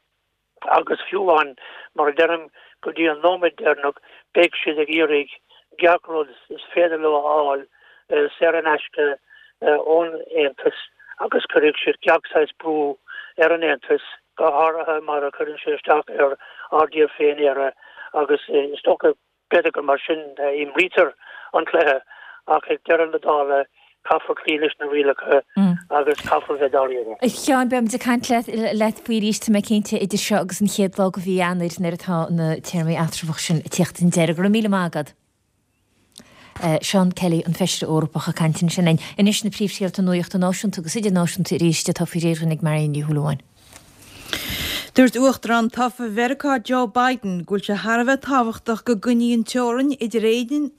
Agus fiú amháin, mar a deirim, go dtí an nóiméad deireanach, beidh siad ag iarraidh gach rud is féidir leo a fháil saor in aisce ón Aontas agus cuirfidh siad gach saghas brú ar an Aontas, go háirithe mar a chuireann sé isteach ar ár dtír féin, Éire, agus is dócha B'fhéidir gur mar sin a imrítear an cluiche ach ag deireadh na dála caithfear cloí leis na rialacha agus caithfear bheith dáiríre. A Sheáin, beimid ag caint leat faoi arís, tá mé cinnte, idir seo agus an chéad lá de mhí Eanáir nuair atá na téarmaí eatramhacha sin ag tíocht chun deiridh. Go raibh míle maith agat. Seán Kelly, an Feisire Eorpach, ag caint ansin linn. Anois na príomhscéalta nuachta náisiúnta agus idirnáisiúnta arís atá faoi réir dhúinn ag Marion Ní Shúilleabháin. Dúirt Uachtarán tofa Mheiriceá Joe Biden go bhfuil sé thar a bheith tábhachtach go gcoinneofaí an teorainn idir Éirinn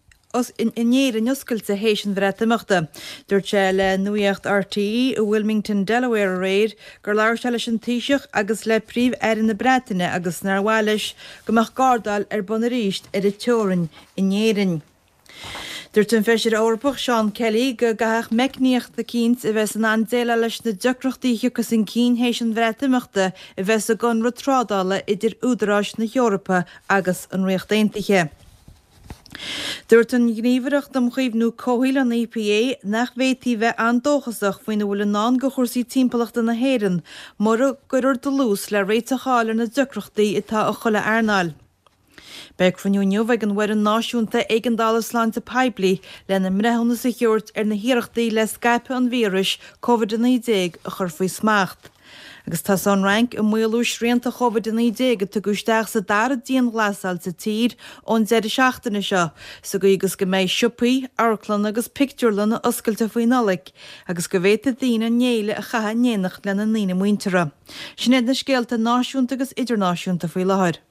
in Éirinn oscailte théis an Bhreatimeachta. Dúirt sé le Nuacht RTÉ i Wilmington, Delaware aréir gur labhair sé leis an Taoiseach agus le Príomh-Aire na Breataine agus nár mhaith leis go mbeadh gardáil ar bun arís ar an teorainn in Éirinn. Dúirt an Feisire Eorpach Seán Kelly go gcaithfeadh meicníocht eicínt a bheas in ann déileáil leis na deacrachtaí a thiocfas chun cinn théis an Bhreatimeachta a bheith sa gconradh trádála idir údaráis na hEorpa agus an Ríocht Aontaithe. Dúirt an Ghníomhaireacht um Chaomhnú Comhshaoil, an EPA, nach bhféadfaí bheith an-dóchasach faoina bhfuil i ndán do chúrsaí timpeallachta na hÉireann mura gcuirfear dlús le réiteach a fháil ar na deacrachtaí atá i chuile earnáil. Beidh cruinniú inniu ag an bhFoireann Náisiúnta Éigeandála Sláinte Poiblí lena mbreithiúnas a thabhairt ar na hiarrachtaí le scaipeadh an víris Covid-19 a chur faoi smacht. Agus tá an Fhrainc ag maolú srianta Covid-19 a tugadh isteach sa dara dianghlasáil sa tír ón deireadh seachtaine seo, sa gcaoi agus go mbeidh siopaí, amharclanna agus pictiúrlanna oscailte faoi Nollaig agus go bhféadfaidh daoine an fhéile a chaitheamh in éineacht lena ndaoine muinteartha. Sin iad na scéalta náisiúnta agus idirnáisiúnta faoi láthair.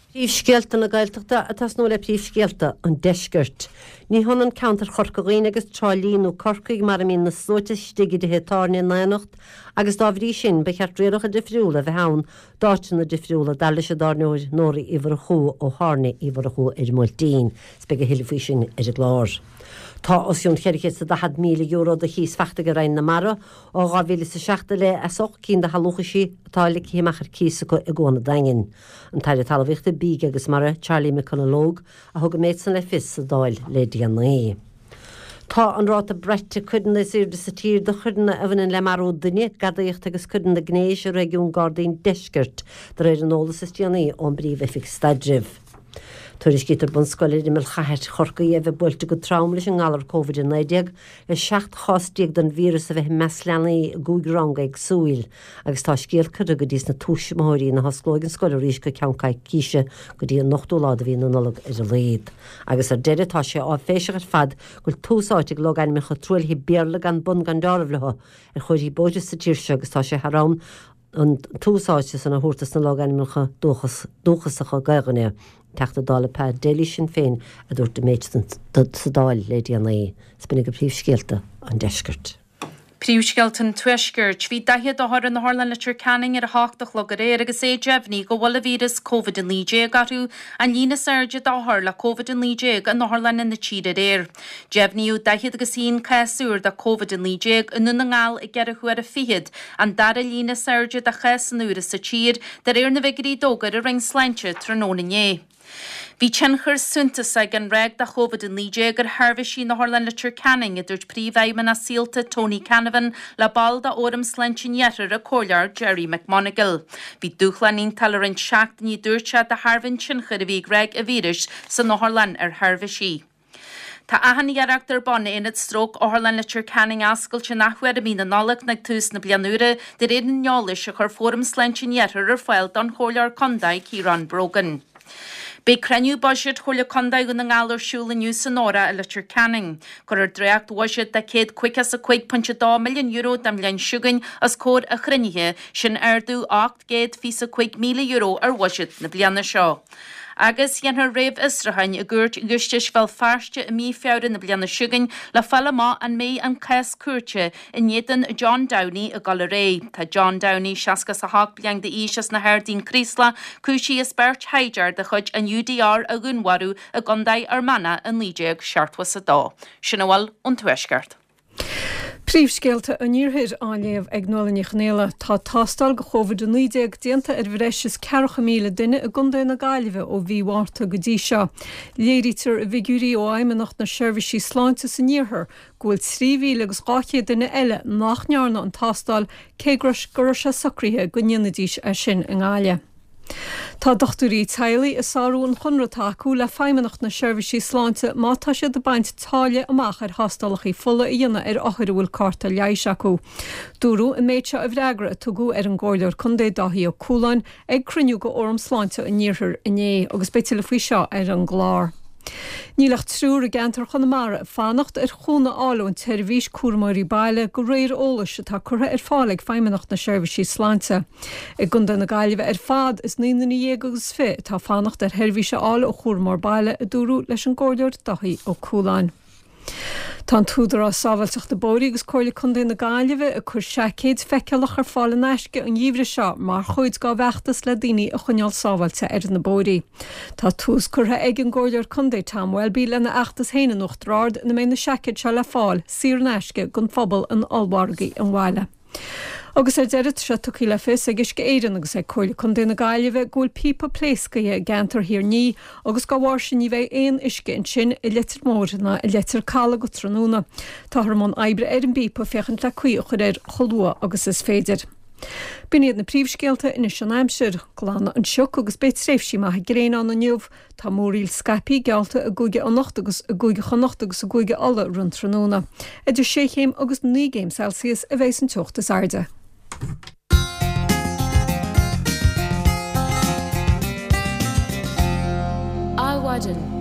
Príomhscéalta na Gaeltachta ag tosnú le príomhscéalta an Deiscirt. Ní hionann ceantar Chorca Dhuibhne agus Trá Lí nó Corcaigh mar a mbíonn na sluaite istigh i dtithe tábhairne in aonacht agus dá bhrí sin ba cheart rialacha difriúla a bheith ann d'áiteanna difriúla, dar leis an dtábhairneoir Nóra Uí Mhurchú ó Thábhairne Uí Mhurchú ar an mBuailtín. 'S beidh a thuilleadh faoi sin ar an gclár. Tá os cionn €440,000 de chíos fachta ag Roinn na Mara ó 2007 i leith as 8 cinn de shealúchaisí atá ligthe amach ar cíos acu i gCuan an Daingin. An tAire Talmhaíochta, Bídh agus Mara, Charlie McConalogue, a thug an méid san le fios sa Dáil le déanaí. Tá an ráta braite coireanna is airde sa tír do choireanna a bhaineann le marú duine, gadaíocht agus coireanna gnéis i réigiún Gardaí an Deiscirt, de réir an eolas is déanaí ón bPríomh-Oifig Staidrimh. Tuairiscítear bunscoil ar imeall chathair Chorcaí a bheith buailte go trom leis an ngalar Covid-19 le 17 chás den víreas a bheith i measc leanaí i gcúig rang éagsúil. Agus tá scéal curtha go dtí sna tuismitheoirí ná hosclóidh an scoil arís go ceann coicíse, go dtí an ochtú lá de mhí na Nollag ar a laghad. Agus ar deireadh, tá sé áiféiseach ar fad go bhfuil tús áite ag logainmneacha truaillithe Béarla gan bun gan deáramh leo ar chomharthaí bóithre sa tír seo agus tá sé thar am an tús áite san a thabhairt dos na logainmneacha dúchasacha Gaelainne. Teachta Dála Pa Daly Sinn Féin a dúirt an méid san sa Dáil le déanaí. 'S b'in iad príomhscéalta an deiscirt. Príomhscéalta an Tuaiscirt. Bhí 40 othar in Otharlann Leitir Ceanainn ar a hocht a chlog aréir agus é deimhnithe go bhfuil an víreas Covid-19 orthu, an líon is airde d'othair le Covid-19 in otharlanna na tíre aréir. Deimhníodh 40 agus 1 cás úr de Covid-19 i nDún na nGall i gceithre huaire fichead, an dara líon is airde de chásanna úra sa tír, de réir na bhfigiúirí a d'fhógair an Roinn Sláinte tráthnóna inné. Bhí tionchar suntasach ag an ráig de Covid-19 ar sheirbhísí in Otharlann Leitir Ceanainn, a dúirt Príomhfheidhmeannach Saolta Tony Canavan le ball de Fhóram Sláinte an Iarthair, an Comhairleoir Gerry McMonagle. Bhí dúshlán iontach le roinnt seachtainí, a dúirt sé, de thairbhe an tionchair a bhí ag ráig an víris san otharlann ar sheirbhísí. Tá achan iarracht ar bun Aonad Stróc Otharlann Leitir Ceanainn a oscailt an athuair i mí na Nollag nó ag tús na bliana úire, de réir an eolais a chuir Fóram Sláinte an Iarthair ar fáil don Chomhairleoir Contae Ciarán Brogan. Beidh cruinniú buiséid Chomhairle Contae Dhún na nGall ar siúl inniu san Óra i Leitir Ceanainn. Cuirfear dréacht-bhuiséad de €155.2 milliún don bhliain seo chugainn os comhair an chruinnithe, sin ardú €825,000 ar bhuiséad na bliana seo. Agus déanfar réamhfhiosrúchán i gCúirt Ghiúistis Bhéal Feirste i mí Feabhra na bliana seo chugainn le fáil amach an mbeidh an cás cúirte in éadan John Downey ag dul ar aghaidh. Tá John Downey, 68 bliain d'aois as na hArdaí, An Craoslach, cúisithe as beirt shaighdiúir de chuid an UDR a dhúnmharú i gContae Fhear Manach i 1972. Sin a bhfuil ón Tuaisceart. Príomhscéalta an Iarthair á léamh ag Nuala Ní Chonghaile. Tá tástáil do Covid-19 déanta ar bhreis is 40,000 duine i gContae na Gaillimhe ó mhí Mhárta go dtí seo. Léirítear i bhfigiúirí ó Fheidhmeannacht na Seirbhísí Sláinte san Iarthar go bhfuil 3,000 agus 200 duine eile nach ndearna an tástáil cé go raibh sé socraithe go ndéanfaidís é sin i nGaillimh. Tá dochtúirí teaghlaigh ag sárú an chonradh atá acu le Feidhmeannacht na Seirbhísí Sláinte má tá siad ag baint táille amach ar thástálacha fola a dhéanamh ar othair a bhfuil cárta leighis acu. Dúradh an méid seo i bhfreagra a tugadh ar an gComhairleoir Contae Dáithí Ó Cualáin ag cruinniú de Fhóram Sláinte an Iarthair inné agus beidh tuilleadh faoi seo ar an gclár. Níl ach triúr i gceantar Chonamara ag fanacht ar chúnamh a fháil ón tseirbhís cúramóirí baile de réir eolais atá curtha ar fáil ag Feidhmeannacht na Seirbhísí Sláinte. I gContae na Gaillimhe ar fad is 19 nduine agus 20 atá ag fanacht ar sheirbhís a fháil ó chúramóir baile, a dúradh leis an gComhairleoir Dáithí Ó Cualáin. Tá an tÚdarás Sábháilteachta Bóithre agus Comhairle Contae na Gaillimhe ag cur seaicéid feiceálach ar fáil in aisce an gheimhreadh seo mar chuid dá bhfeachtas le daoine a choinneáil sábháilte ar na bóithrí. Tá tús curtha ag an gComhairleoir Contae Tom Welby lena fheachtas féin in Uachtar Ard ina mbeidh na seaicéid seo le fáil saor in aisce don phobal in ollmhargaí an bhaile. Agus ar deireadh, tá sé tugtha le fios ag Uisce Éireann agus ag Comhairle Contae na Gaillimhe go bhfuil píopa pléasctha i gceantar Thír an Fhia agus dá bharr sin ní bheidh aon uisce ansin i Leitir Móir ná i Leitir Caladh go tráthnóna. Táthar i mbun oibre ar an bpíopa féachaint le caoi a chur air chomh luath agus is féidir. B'in iad na príomhscéalta, anois an aimsir. Glanfaidh an sioc agus beidh tréimhsí maithe gréine ann inniu. Tá múraíl scaipthe geallta i gCúige Fhionnacht agus i gCúige Chonnacht agus i gCúige Uladh roimh an tráthnóna. Idir sé chéim agus 9 gcéim Celsius a bheidh an teocht is airde. Adhmhaidin.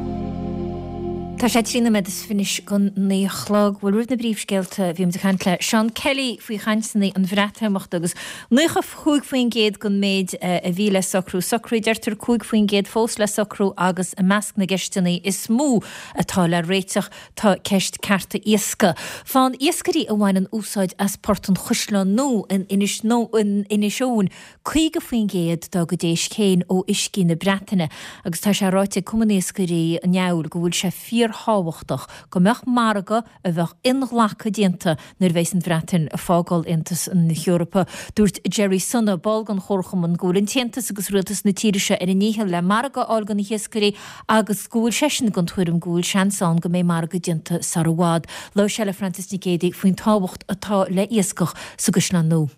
Tá sé 13 nóiméad anois don 9 a chlog. Bhuel, roimh na bpríomhscéalta, bhí muid ag caint le Seán Kelly faoi chainteanna an Bhreatimeachta agus 95% den méid a bhí le socrú socraithe, deirtear, 5% fós le socrú agus i measc na gceisteanna is mó atá le réiteach tá ceist cearta iascaigh. Faigheann iascairí a bhaineann úsáid as Port an Chaisleáin Nua in Inis Eoghain 50% dá gcuid éisc féin ó uiscí na Breataine agus tá sé ráite ag Cumann Iascairí an Fheabhail go bhfuil sé fíorthábhachtach go mbeadh margadh a bheadh inghlactha déanta nuair a bheas an Bhreatain ag fágáil Aontas na hEorpa. Dúirt Gerry Sunna, ball den chomharchumann, go bhfuil an tAontas agus rialtas na tíre seo ar a ndícheall le margadh a fháil do na hiascairí agus go bhfuil seisean den tuairim go bhfuil seans ann go mbeidh margadh déanta sar i bhfad. Labhair sé le Frances Nic Géadaigh faoin tábhacht atá le iascach sa gCaisleán Nua.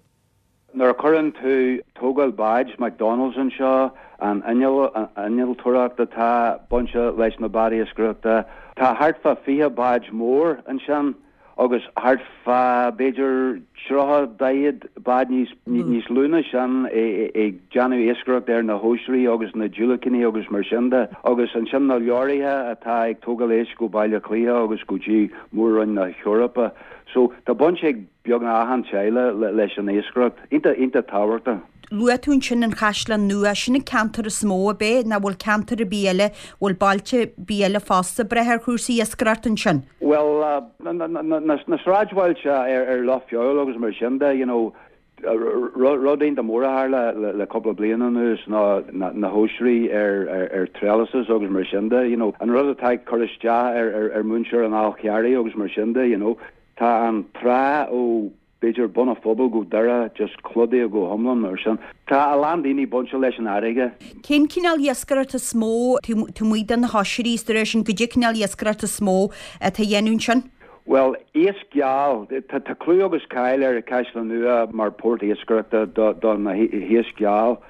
Nuair a chuireann tú tógáil báid McDonalds anseo, an innealtóireacht atá bainte leis na báid iascaireachta, tá thart fá 20 bád mór ansin agus thart fá b'fhéidir 30, 40 bád níos lú ná sin ag déanamh iascaireacht ar na hoisrí agus na diúilicíní agus mar sin de. Agus ansin na leoraithe atá ag tógáil éisc go Baile Átha Cliath agus go dtí Mór-Roinn na hEorpa. So tá baint ag. beagnach achan teaghlach leis an iascaireacht. Iontach, iontach tábhachtach. Luaigh tú ansin an Chaisleán Nua, sin an ceantar is mó, ab é? Nó bhfuil ceantar ar bith eile, bhfuil bailte ar bith eile fosta ag brath ar chúrsaí iascaireachta ansin? Bhuel, na sráidbhailte ar Loch Feabhail agus mar sin de, you know, Rud iontach mór a tharla le cúpla bliain anuas ná na hoisrí ar trellises agus mar sin de, you know, an rud atá ag cur isteach ar mhuintir an Fháil Charraigh agus mar sin de, you know. Tá an trá ó b'fhéidir Bun an Phobail go Doire just clúdaithe go hiomlán mar sin. Tá a lán daoine bainte leis an fharraige. Cén cineál iascaireachta is mó taobh amuigh de na hoisrí is de réir sin, goidé cineál iascaireachta is mó atá á dhéanamh ansin? Bhuel, iasc geal. Tá clú agus cáil ar Caisleán Nua mar port iascaireachta do na hiasc geal.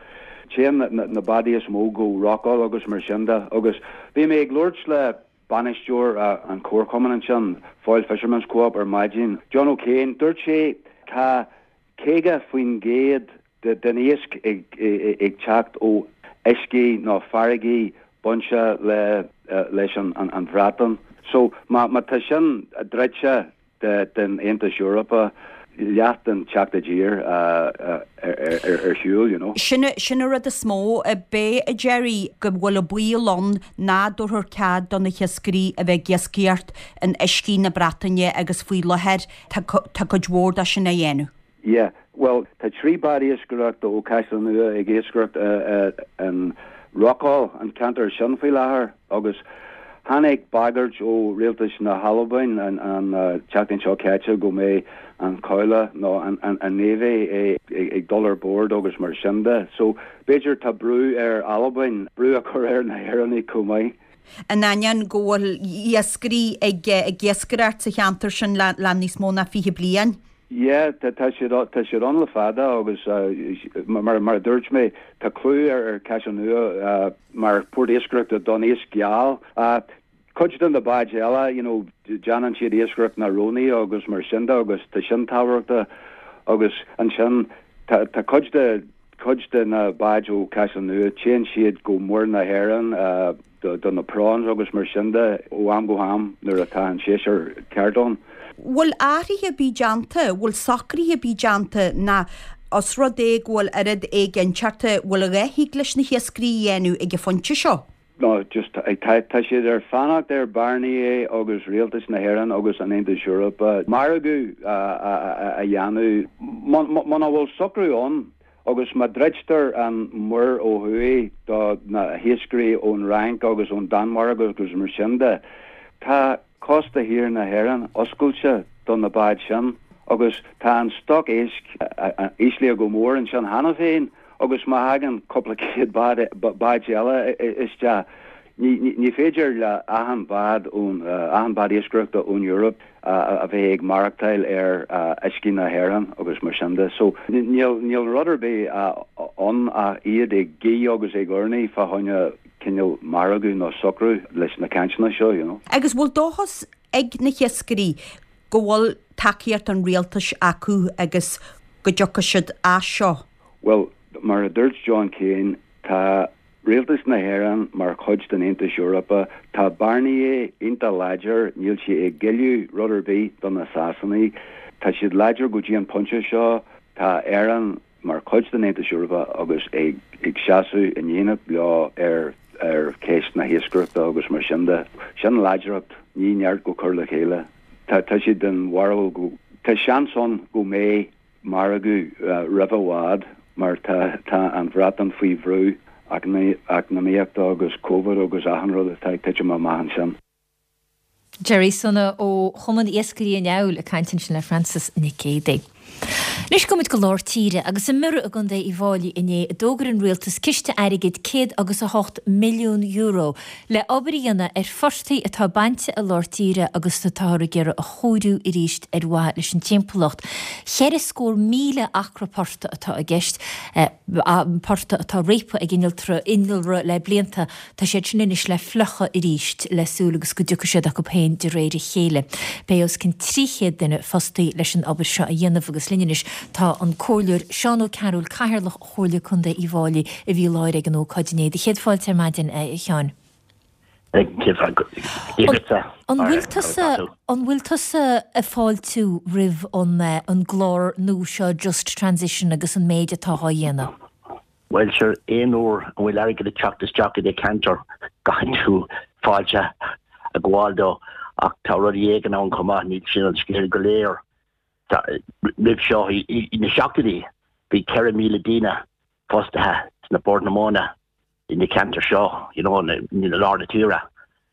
Téann na bádaí is mó go Rockall agus mar sin de. Agus bhí mé ag labhairt le. bainisteoir an chomharchumainn ansin, Foyle Fisherman's Co-op ar maidin, John O'Kane, dúirt sé tá 50% den iasc ag teacht ó uiscí nó farraigí bainte leis an Bhreatain. So má tá sin druidte den Aontas Eorpach, leath den teacht i dtír ar shiúl, you know. Sin sin an rud is mó ab é, a Gerry, go bhfuil an baol ann nach dtabharfar cead do na hiascairí a bheith ag iascaireacht in uiscí na Breataine agus faoi láthair tá tá cuid mhór de sin á dhéanamh. Yeah, bhuel, tá 3 bád iascaireachta ó Caisleán Nua ag iascaireacht in Rockall, an ceantar sin faoi láthair, agus tháinig bagairt ó rialtas na hAlbain an tseachtain seo caite go mbeidh an cabhlach nó an Navy ag dul ar bord agus mar sin de. So, b'fhéidir tá brú ar Albain brú a chur ar na hÉireannaigh chomh maith. In ainneoin go bhfuil iascairí ag iascaireacht sa cheantar sin le níos mó ná 20 bliain. Yeah, tá siad, tá siad ann le fada agus mar, mar a dúirt mé, tá clú ar, ar Caisleán Nua mar port iascaireachta don iasc geal. Cuid de na báid eile, you know, déanann siad iascaireacht na rónaí agus mar sin de agus tá sin tábhachtach agus ansin tá, tá cuid de, cuid de na báid ó Caisleán Nua, téann siad go Muir na hÉireann, do na prawns agus mar sin de ó am go ham nuair atá an séasúr ceart ann. Bhfuil athruithe ar bith déanta, bhfuil socruithe ar bith déanta ná os rud é go bhfuil oiread éiginnteachta, bhfuil a dhath thig leis na hiascairí a dhéanamh ag an phointe seo? No, just tá tá siad ar fanacht ar Barnier agus Rialtas na hÉireann agus an Aontas Eorpach margadh a dhéanamh. Muna bhfuil socrú ann, Agus má druidtear an muir ó thuaidh do na hiascairí ón Fhrainc agus ón Danmhairg agus mar sin de, tá cósta thiar na hÉireann oscailte do na báid sin agus tá an stoc éisc íslithe go mór ansin cheana féin agus má thagann cúpla céad bád eile isteach, ní féidir le achan bhád ón, achan bád iascaireachta ón Eoraip a bheith ag maireachtáil ar uiscí na hÉireann agus mar sin de. So níl, níl rud ar bith ann ach iad ag guí agus ag urnaí fá choinne cineál margadh nó socrú leis na cainteanna seo, you know. Agus bhfuil dóchas ag na hiascairí go bhfuil tacaíocht an rialtais acu agus go dtiocfaidh siad as seo? Bhuel, mar a dúirt John Keane, tá Rialtas na hÉireann mar chuid den Aontas Eorpach, tá Barnier iontach láidir, níl sé ag géilleadh rud ar bith do na Sasanaigh. Tá siad láidir go dtí an pointe seo. Tá Éireann mar chuid den Aontas Eorpach agus ag seasamh in éineacht leo ar ar cheist na hiascaireachta agus mar sin de. Sin láidreacht, ní neart go cur le chéile. Tá tá siad den bharúil go tá seans ann go mbeidh margadh roimh i bhfad mar tá tá an Bhreatain faoi bhrú eacnamaíochta agus Covid agus achan rud atá ag titim amach ansin. Gerry Sohna ó Chumann Iascairí an Fheabhail ag caint ansin le Frances Nic Géadaigh. Anois gabhfaidh muid go lár tíre agus i mBiorra i gContae Uíbh Fháilí inné a d'fhógair an rialtas ciste airgid €108 milliún le obair a dhéanamh ar phortaigh atá bainte i lár tíre agus atáthar ag iarraidh a chóiriú arís ar mhaithe leis an timpeallacht. 40,000 acra portaigh atá i gceist, portaigh atá réabtha ag innealra le blianta. Tá siad sin anois le fliuchadh arís le súil agus go dtiocfaidh siad acu féin de réir a chéile. Beidh os cionn 300 duine fostaí leis an obair seo a dhéanamh agus linn anois tá an Comhairleoir Seán Ó Cearúil, Cathaoirleach Chomhairle Contae Uíbh Fháilí a bhí i láthair ag an ócáid inné. Do chéad fáilte ar maidin, a Sheáin. An bhfuil tusa, an bhfuil tusa ag fáiltiú roimh an, an gclár nua seo Just Transition agus an méid atá á dhéanamh? Bhuel, sure, aon uair a bhfuil airgead ag teacht isteach i do cheantar, caithfidh tú fáilte a ghabháil dó. Ach tá rudaí éigin ann chomh maith, níl sin an scéal go léir. Roimh seo, i na seachtóidí, bhí 4,000 daoine fostaithe sna Bord na Móna i na ceantair seo, you know, i lár na tíre.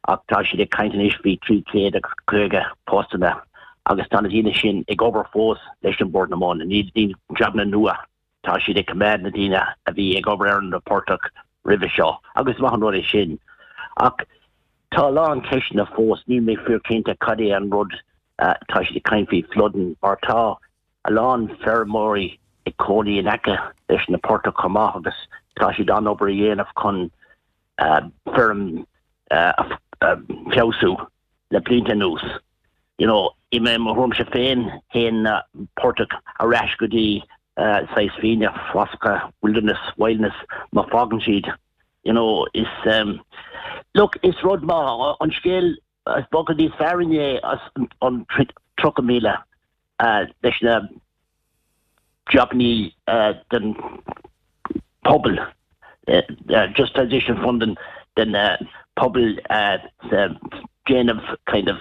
Ach tá siad ag caint anois faoi 350 postanna agus tá na daoine sin ag obair fós leis an Bord na Móna. Ní jabanna nua. Tá siad ag coimeád na daoine a bhí ag obair ar na portaigh roimhe seo agus is maith an rud é sin. Ach tá a lán ceisteanna fós, níl mé fíor cinnte cad é an rud tá siad ag caint faoi flooding mar tá a lán feirmeoirí ag cónaí in aice leis na portaigh chomh maith agus tá siad an-obair a dhéanamh chun feirm. feabhsú le blianta anuas. You know, i mo thuairimse féin, théann an portach ar ais go dtí saghas fiaine, fáscha, wilderness, wildness, má fágann siad, you know, is, look, is rud maith an scéal is beagán níos fearr inné as an 30,000 leis na jabannaí den pobal, Just Transition Fund den pobal déanamh kind of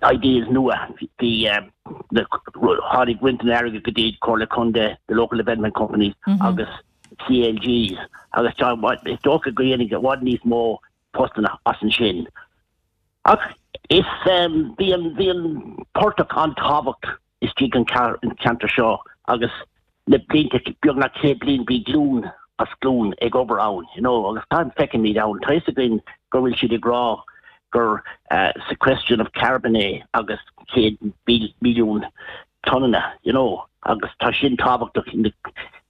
ideas nua. Bhí tháinig roinnt den airgead go dtí Comhairle Contae, the local development companies agus CLGs agus is dócha go dhéanfaidh i bhfad níos mó postanna as ansin. Ach is bhí an bhí an portach an-tábhacht istigh an ceantar seo agus le blianta, beagnach 100 bliain bhí glúin as glúin ag obair ann, you know, agus tá feicimid ann, tá fhios againn go bhfuil siad ag rá gur sequestration of carbon é agus 100 milliún tonnanna, you know, agus tá sin tábhachtach in am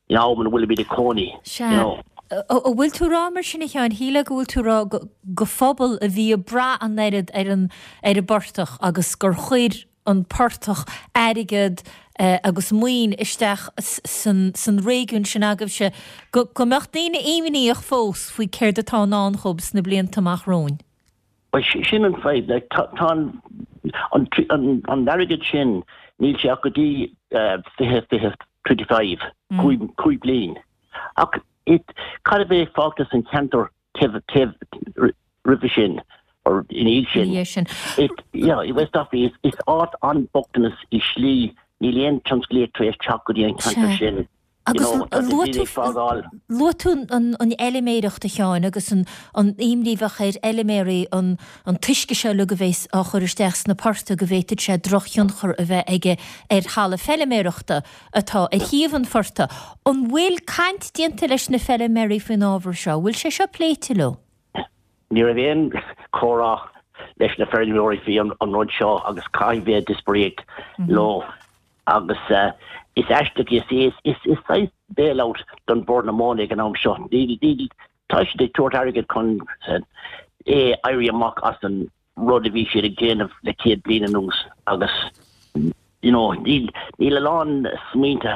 ina bhfuilimid ag cónaí, you know. An bhfuil tú ag rá mar sin a Sheáin, shílfeá go bhfuil tú ag rá go phobal a bhí ag brath an oiread ar an ar an bportach agus gur chuir an portach airgead agus maoin isteach san réigiún sin agaibhse, go mbeadh daoine imníoch fós faoi céard atá i ndán dhóibh sna blianta amach romhainn. Bhuel, sin an fadhb. Like, tá an an airgead sin, níl sé ach go dtí 20, 20, 25, 5 bliain. Ach it, cad a bheidh fágtha san cheantar taobh, taobh roimhe sin, or ina dhiaidh sin? Ina dhiaidh sin. It, yeah, i West Offaly, is, is áit an-bochtanas i slí, níl aon tionsclaíocht tar éis teacht go dtí an ceantar sin. Agus luaigh tú an fheiliméireacht, a Sheáin, agus an imní a bheadh ar fheiliméaraí an t-uisce seo uilig a bheas á chur isteach sna portaigh go bhféadfadh sé drochthionchar a bheith aige ar thalamh feiliméarachta atá ar thaobh an phortaigh. An bhfuil caint déanta leis na feiliméaraí faoin ábhar seo? An bhfuil sé seo pléite leo? Ní raibh aon chomhrá leis na feirmeoirí faoi an rud seo agus caithfidh bheith díospóireacht leo. Agus is aisteach, is is is saghas bailout don Bord na Móna ag an am seo. Níl, níl, tá siad ag tabhairt airgead chun é éirí amach as an rud a bhí siad ag déanamh le 100 bliain anuas agus you know, níl, níl a lán smaointe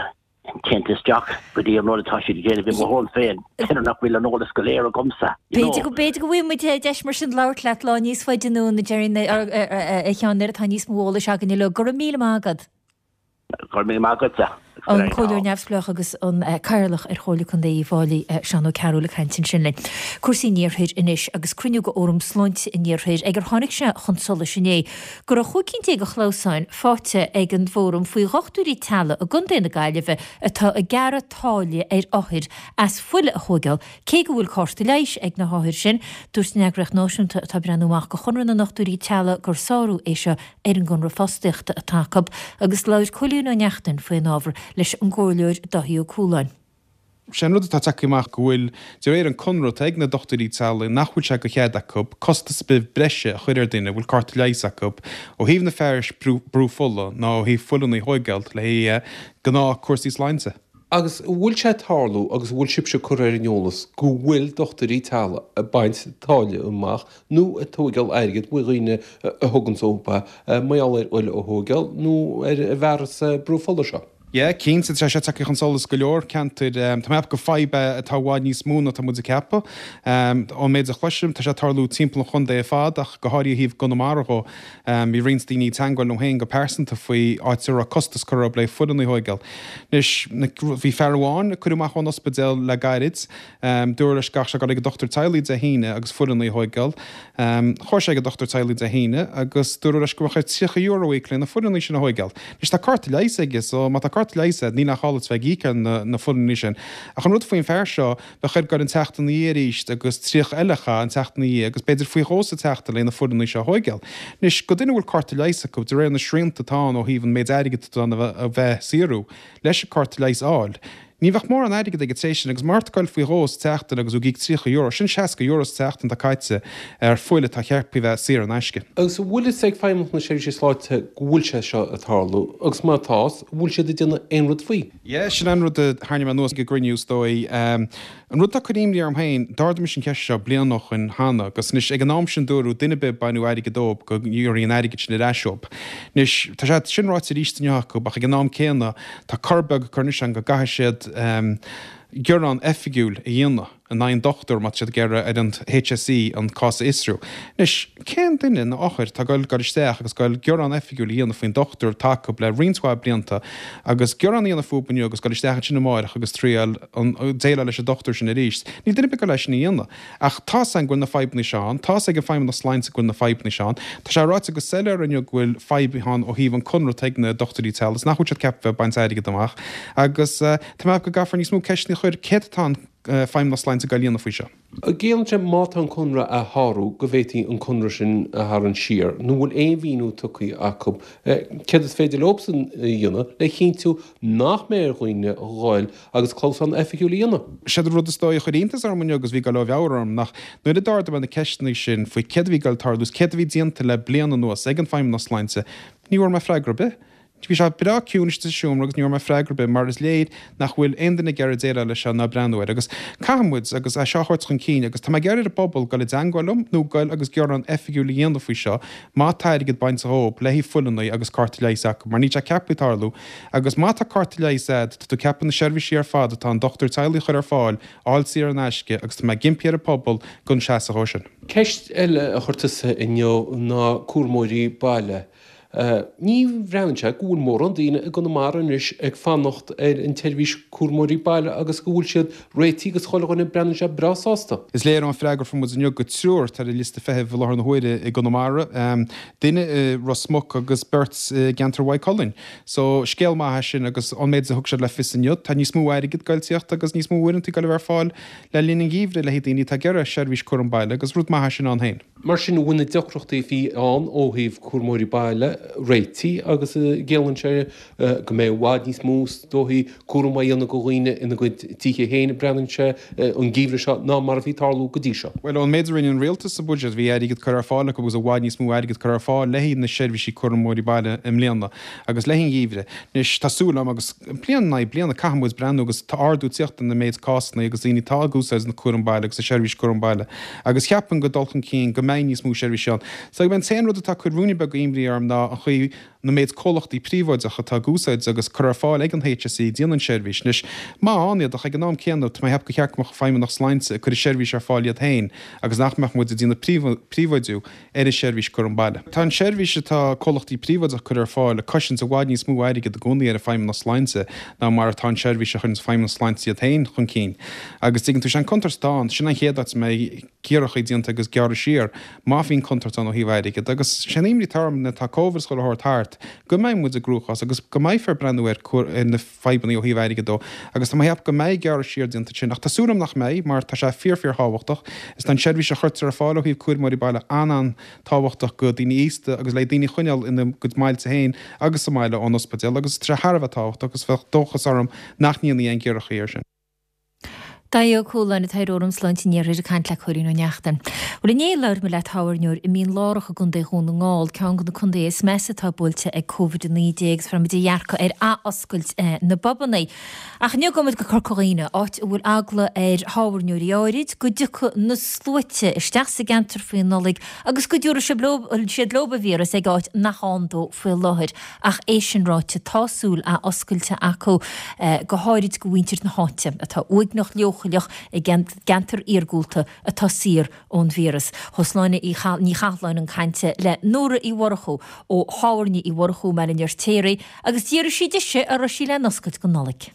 déanta isteach go dtí an rud atá siad ag déanamh i mo thuairim féin, b'fhéidir nach bhfuil an eolas go léir agamsa, you know. B'fhéidir go, b'fhéidir go bhfaighidh muid deis mar sin labhairt leat lá níos faide anonn, a Jerry, a Sheáin, nuair atá níos mó eolais againn uilig. Go raibh míle maith agat. Go raibh míle maith agatsa. An Comhairleoir Neamhspleách agus an Cathaoirleach ar Chomhairle Contae Uíbh Fhailí, Seán Ó Cearúil ag caint ansin linn. Cúrsaí an Iarthair anois agus cruinniú de Fhóram Sláinte an Iarthair ag ar tháinig sé chun solais inné go raibh 15 cinn de chlamhsáin faighte ag an bhFóram faoi dhochtúirí teaghlaigh i gContae na Gaillimhe atá ag gearradh táille ar othair as fuil a thóigeáil cé go bhfuil cárta leighis ag na hothair sin. Dúirt an eagraíocht náisiúnta atá ag breathnú amach do Chonradh na nDochtúirí Teaghlaigh gur sárú é seo ar an gconradh fostaíochta atá acu agus labhair Cóilín Ó Neachtain faoin ábhar leis an gComhairleoir Dáithí Ó Cualáin. Sé an rud atá tagtha amach go bhfuil, de réir an conradh atá ag na dochtúirí teaghlaigh, nach bhfuil sé de chead acu costas ar bith breise a chur ar duine a bhfuil cárta leighis acu ó thaobh na fearais brú fola ná ó thaobh fuileanna a thóigeáil le haghaidh gnáth cúrsaí sláinte. Agus an bhfuil sé ag tarlú agus an bhfuil sibhse curtha ar an eolas go bhfuil dochtúirí teaghlaigh ag baint táille amach nó ag tóigeáil airgid ó dhaoine a thuganns chucu mar gheall ar fhuil a thóigeáil nó ar an bhfearas brú fola seo? Yeah, cinnte, tá sé tagtha chun solais go leor ceantair. Tá mé ag ceapadh gur fadhb é atá i bhfad níos mó ná tá muid ag ceapadh. Ón méid a chloisim, tá sé ag tarlú timpeall an chontae ar fad ach go háirithe ó thaobh gConamara dhó. Bhí roinnt daoine ag teangmháil liom féin go pearsanta faoi áit a raibh costas curtha orthu le fuileanna a thóigeáil. Anois, bhí fear amháin a cuireadh amach ón ospidéal le gairid. Dúradh leis go gcaithfeadh sé dul ag an dochtúir teaghlaigh Dé hAoine agus fuileanna a thóigeáil. Chuaigh sé ag an dochtúir teaghlaigh Dé hAoine agus dúradh leis go mbeadh air €30 a íoc le na fuileanna sin a thóigeáil. Anois tá cárta leighis aige so má tá cárta leighis agat níl aon chall duit bheith ag íoc ar na fuileanna sin. Ach an rud faoin fear seo, bheadh air goil an tseachtain ina dhiaidh arís agus 30 eile a chaitheamh an tseachtain ina dhiaidh agus b'fhéidir faoi dhó sa tseachtain le na fuileanna seo a thóigeáil. Anois, go duine a bhfuil cárta leighis acu, de réir na srianta atá ann ó thaobh an méid airgid atá in ann a bheith saothrú leis an cárta leighis a fháil, Ní bheadh mórán airgid aige tar éis sin agus má tá tú ag goil faoi dhó sa tseachtain agus tú ag íoc €30, sin €60 sa tseachtain atá caite ar fuil atá ceaptha a bheith saor in aisce. Agus an bhfuil fhios ag Feidhmeannacht na Seirbhíse Sláinte go bhfuil sé seo ag tarlú agus má tá, an bhfuil siad ag déanamh aon rud faoi? Yeah, sin an rud a tharraing mé anuas ag an gcruinniú is dóigh. An rud atá ag cur imní orm féin, d'ardaigh mise an cheist seo bliain ó shoin cheana agus anois ag an am sin dúradh duine ar bith a baineadh airgead dóibh go n-iarrfaí an airgead sin ar ais dóibh. Anois tá sé sin ráite arís inniu acu ach ag an am céanna tá cor beag curtha anois ann go gcaithfidh siad gearán oifigiúil a dhéanamh. in aghaidh an dochtúir má tá siad ag iarraidh ar an HSE an cás a fhiosrú. Anois, cén duine nó othar atá ag goil goil isteach agus goil gearán oifigiúil a dhéanamh faoin dochtúir atá acu le roinnt mhaith blianta agus gearán a dhéanamh fúthu inniu agus goil isteach ansin amáireach agus triail an déileáil leis an dochtúir sin arís? Níl duine ar bith ag goil é sin a dhéanamh. Ach tá's againn go bhfuil na fadhbanna seo ann, tá's ag an Feidhmeannacht Sláinte go bhfuil na fadhbanna seo ann. Tá sé ráite go soiléir inniu go bhfuil fadhb ann ó thaobh an conradh atá ag na dochtúirí teaghlaigh is nach bhfuil siad ceaptha bheith ag baint airgead amach agus Tá mé ag ceapadh go gcaithfear níos mó ceisteanna a chur, céard atá an Feidhmeannas Sláinte ag goil a dhéanamh faoi seo? Ciallaíonn sé má tá an conradh á shárú go bhféadfaí an conradh sin a tharraingt siar nó bhfuil aon mhíniú tugtha acu céard is féidir leobsan a dhéanamh le chinntiú nach mbeidh ar dhaoine a ghoil agus clamhsán oifigiúil a dhéanamh? Séard an rud is dóigh a chuir iontas orm inniu agus bhí ag goil ó mheabhair orm ná nuair a d'ardaigh mé na ceisteanna sin faoi céard a bhí ag goil ag tarlú is céard a bhí déanta le bliain anuas ag an Feidhmeannas Sláinte, ní bhfuair mé freagra ar bith. Bhí sé breá ciúin istigh sa seomra agus ní bhfuair mé freagra ar bith mar is léir nach bhfuil aon duine ag iarraidh déileáil leis seo ná breathnú air agus caithfidh muid agus é seo a thabhairt chun cinn agus tá mé ag iarraidh ar an bpobal dul i dteangmháil liom nó goil agus gearán oifigiúil a dhéanamh faoi seo má tá airgead bainte dhóibh le haghaidh fuileanna agus cárta leighis acu mar níl sé ceaptha tarlú agus má tá cárta leighis a'd tá tú ceaptha na seirbhísí ar fad atá an dochtúir teaghlaigh a chur ar fáil a fháil saor in aisce agus tá mé ag impí ar an pobal gan seasamh dhó sin. Ceist eile a chuir tusa inniu ná cúramóirí baile. Ní bhreathnaíonn sé go bhfuil mórán daoine i gConamara anois ag fanacht ar an tseirbhís cúramóirí baile agus go bhfuil siad réitithe agus chuile dhuine breathnaíonn sé breá sásta. Is léir ón freagra a fuair muid inniu go triúr atá ar an liosta feithimh i láthair na huaire i gConamara, duine i Ros Muc agus beirt i gceantar Mhaigh Cuilinn. So, scéal maith é sin agus ón méid a thug siad le fios inniu, tá níos mó airgid ag goil tíocht agus níos mó uaireanta ag goil a bheith ar fáil le linn an gheimhridh le haghaidh daoine atá ag iarraidh seirbhís cúram baile agus rud maith é sin ann féin. Mar sin, bhfuil na deacrachtaí a bhí ann ó thaobh cúramóirí baile réitithe agus ciallaíonn sé go mbeidh i bhfad níos mó is dóichí cúram á dhéanamh do dhaoine ina gcuid tithe féin, breathnaíonn sé, an geimhreadh seo ná mar a bhí ag tarlú go dtí seo. Bhuel, ón méid a rinne an rialtas sa bhuiséad, bhí airgead curtha ar fáil acu agus i bhfad níos mó airgead curtha ar fáil le haghaidh na seirbhísí cúramóirí baile i mbliana agus le haghaidh an gheimhridh. Anois, tá súil agam, agus bliain in aghaidh bliana, caithfidh muid breathnú agus tá ardú ag tíocht ar an méid cásanna agus daoine atá ag úsáid na cúram baile agus na seirbhís cúram baile agus cheapfainn go dul chun cinn go mbeidh níos mó seirbhísí ann. So an t-aon rud atá ag cur ruainne beag imní orm ná an chaoi na méid comhlachtaí príobháideacha atá ag úsáid agus curtha ar fáil ag an HSE ag déanamh an seirbhís. Anois, maith ann iad ach ag an am céanna tá mé ag ceapadh gur cheart go mbeadh Feidhmeannacht Sláinte ag cur an seirbhís ar fáil iad féin agus nach mbeadh muid ag déanamh príobháidiú ar an seirbhís cúram baile. Tá an seirbhís atá comhlachtaí príobháideacha ag cur ar fáil ag cosaint i bhfad níos mó airgid i gcónaí ar an Feidhmeannacht Sláinte ná mar atá an seirbhís a chuireann Feidhmeannacht Sláinte iad féin chun cinn. Agus tuigeann tú, sé an contúirt atá ann, sin an chéad áit a mbeidh giorrachaí déanta agus gearradh siar má bhíonn contúirt ann ó thaobh airgid. Agus sé an imní atá orm nuair atá Covid is chuile shórt thart, go mbeidh muid i gcruachás agus go mbeifear ag breathnú ar na fadhbanna ó thaobh airgid dó agus tá mé ag ceapadh go mbeidh gearradh siar déanta ansin ach tá súil agam nach mbeidh mar tá sé fíor fíor thábhachtach is tá an seirbhís a chuirtear ar fáil ó thaobh cúramóirí baile an-an-tábhachtach go daoine aosta agus le daoine a choinneáil ina gcuid mbailte féin agus sa mbaile ón ospidéal agus tá sé thar a bheith tábhachtach agus bheadh dóchas orm nach ndéanfaí aon ghiorrachaí air sin. Daithí Ó Cualáin, an tAire Fhóram Sláinte an Iarthair ag caint le Cóilín Ó Neachtain. Bhuel inné labhair mé le tábhairneoir i Mín Lárach i gContae Dhún na nGall, ceann de na contaetha is measa atá buailte ag Covid-19 agus fuair muid a dhearcadh ar athoscailt na bpubanna. Ach inniu gabhfaidh muid go Corca Dhuibhne, áit a bhfuil eagla ar thábhairneoirí áirid go dtiocfaidh na sluaite isteach sa gceantar faoin Nollaig agus go dtabharfaidh siad leo an víreas ag áit nach ann dó faoi láthair. Ach é sin ráite, tá súil athoscailte acu, go háirid go mhuintir na háite, atá uaigneach leochaileach i gceantar iargúlta atá saor ón víreas. Chuaigh Sláine Ní Chathalláin chun cainte le Nóra Uí Mhurchú ó Thábhairne Uí Mhurchú i mBaile an Fheirtéaraigh agus d'fhiafraigh sí dise an raibh sí le n-oscailt don Nollaig.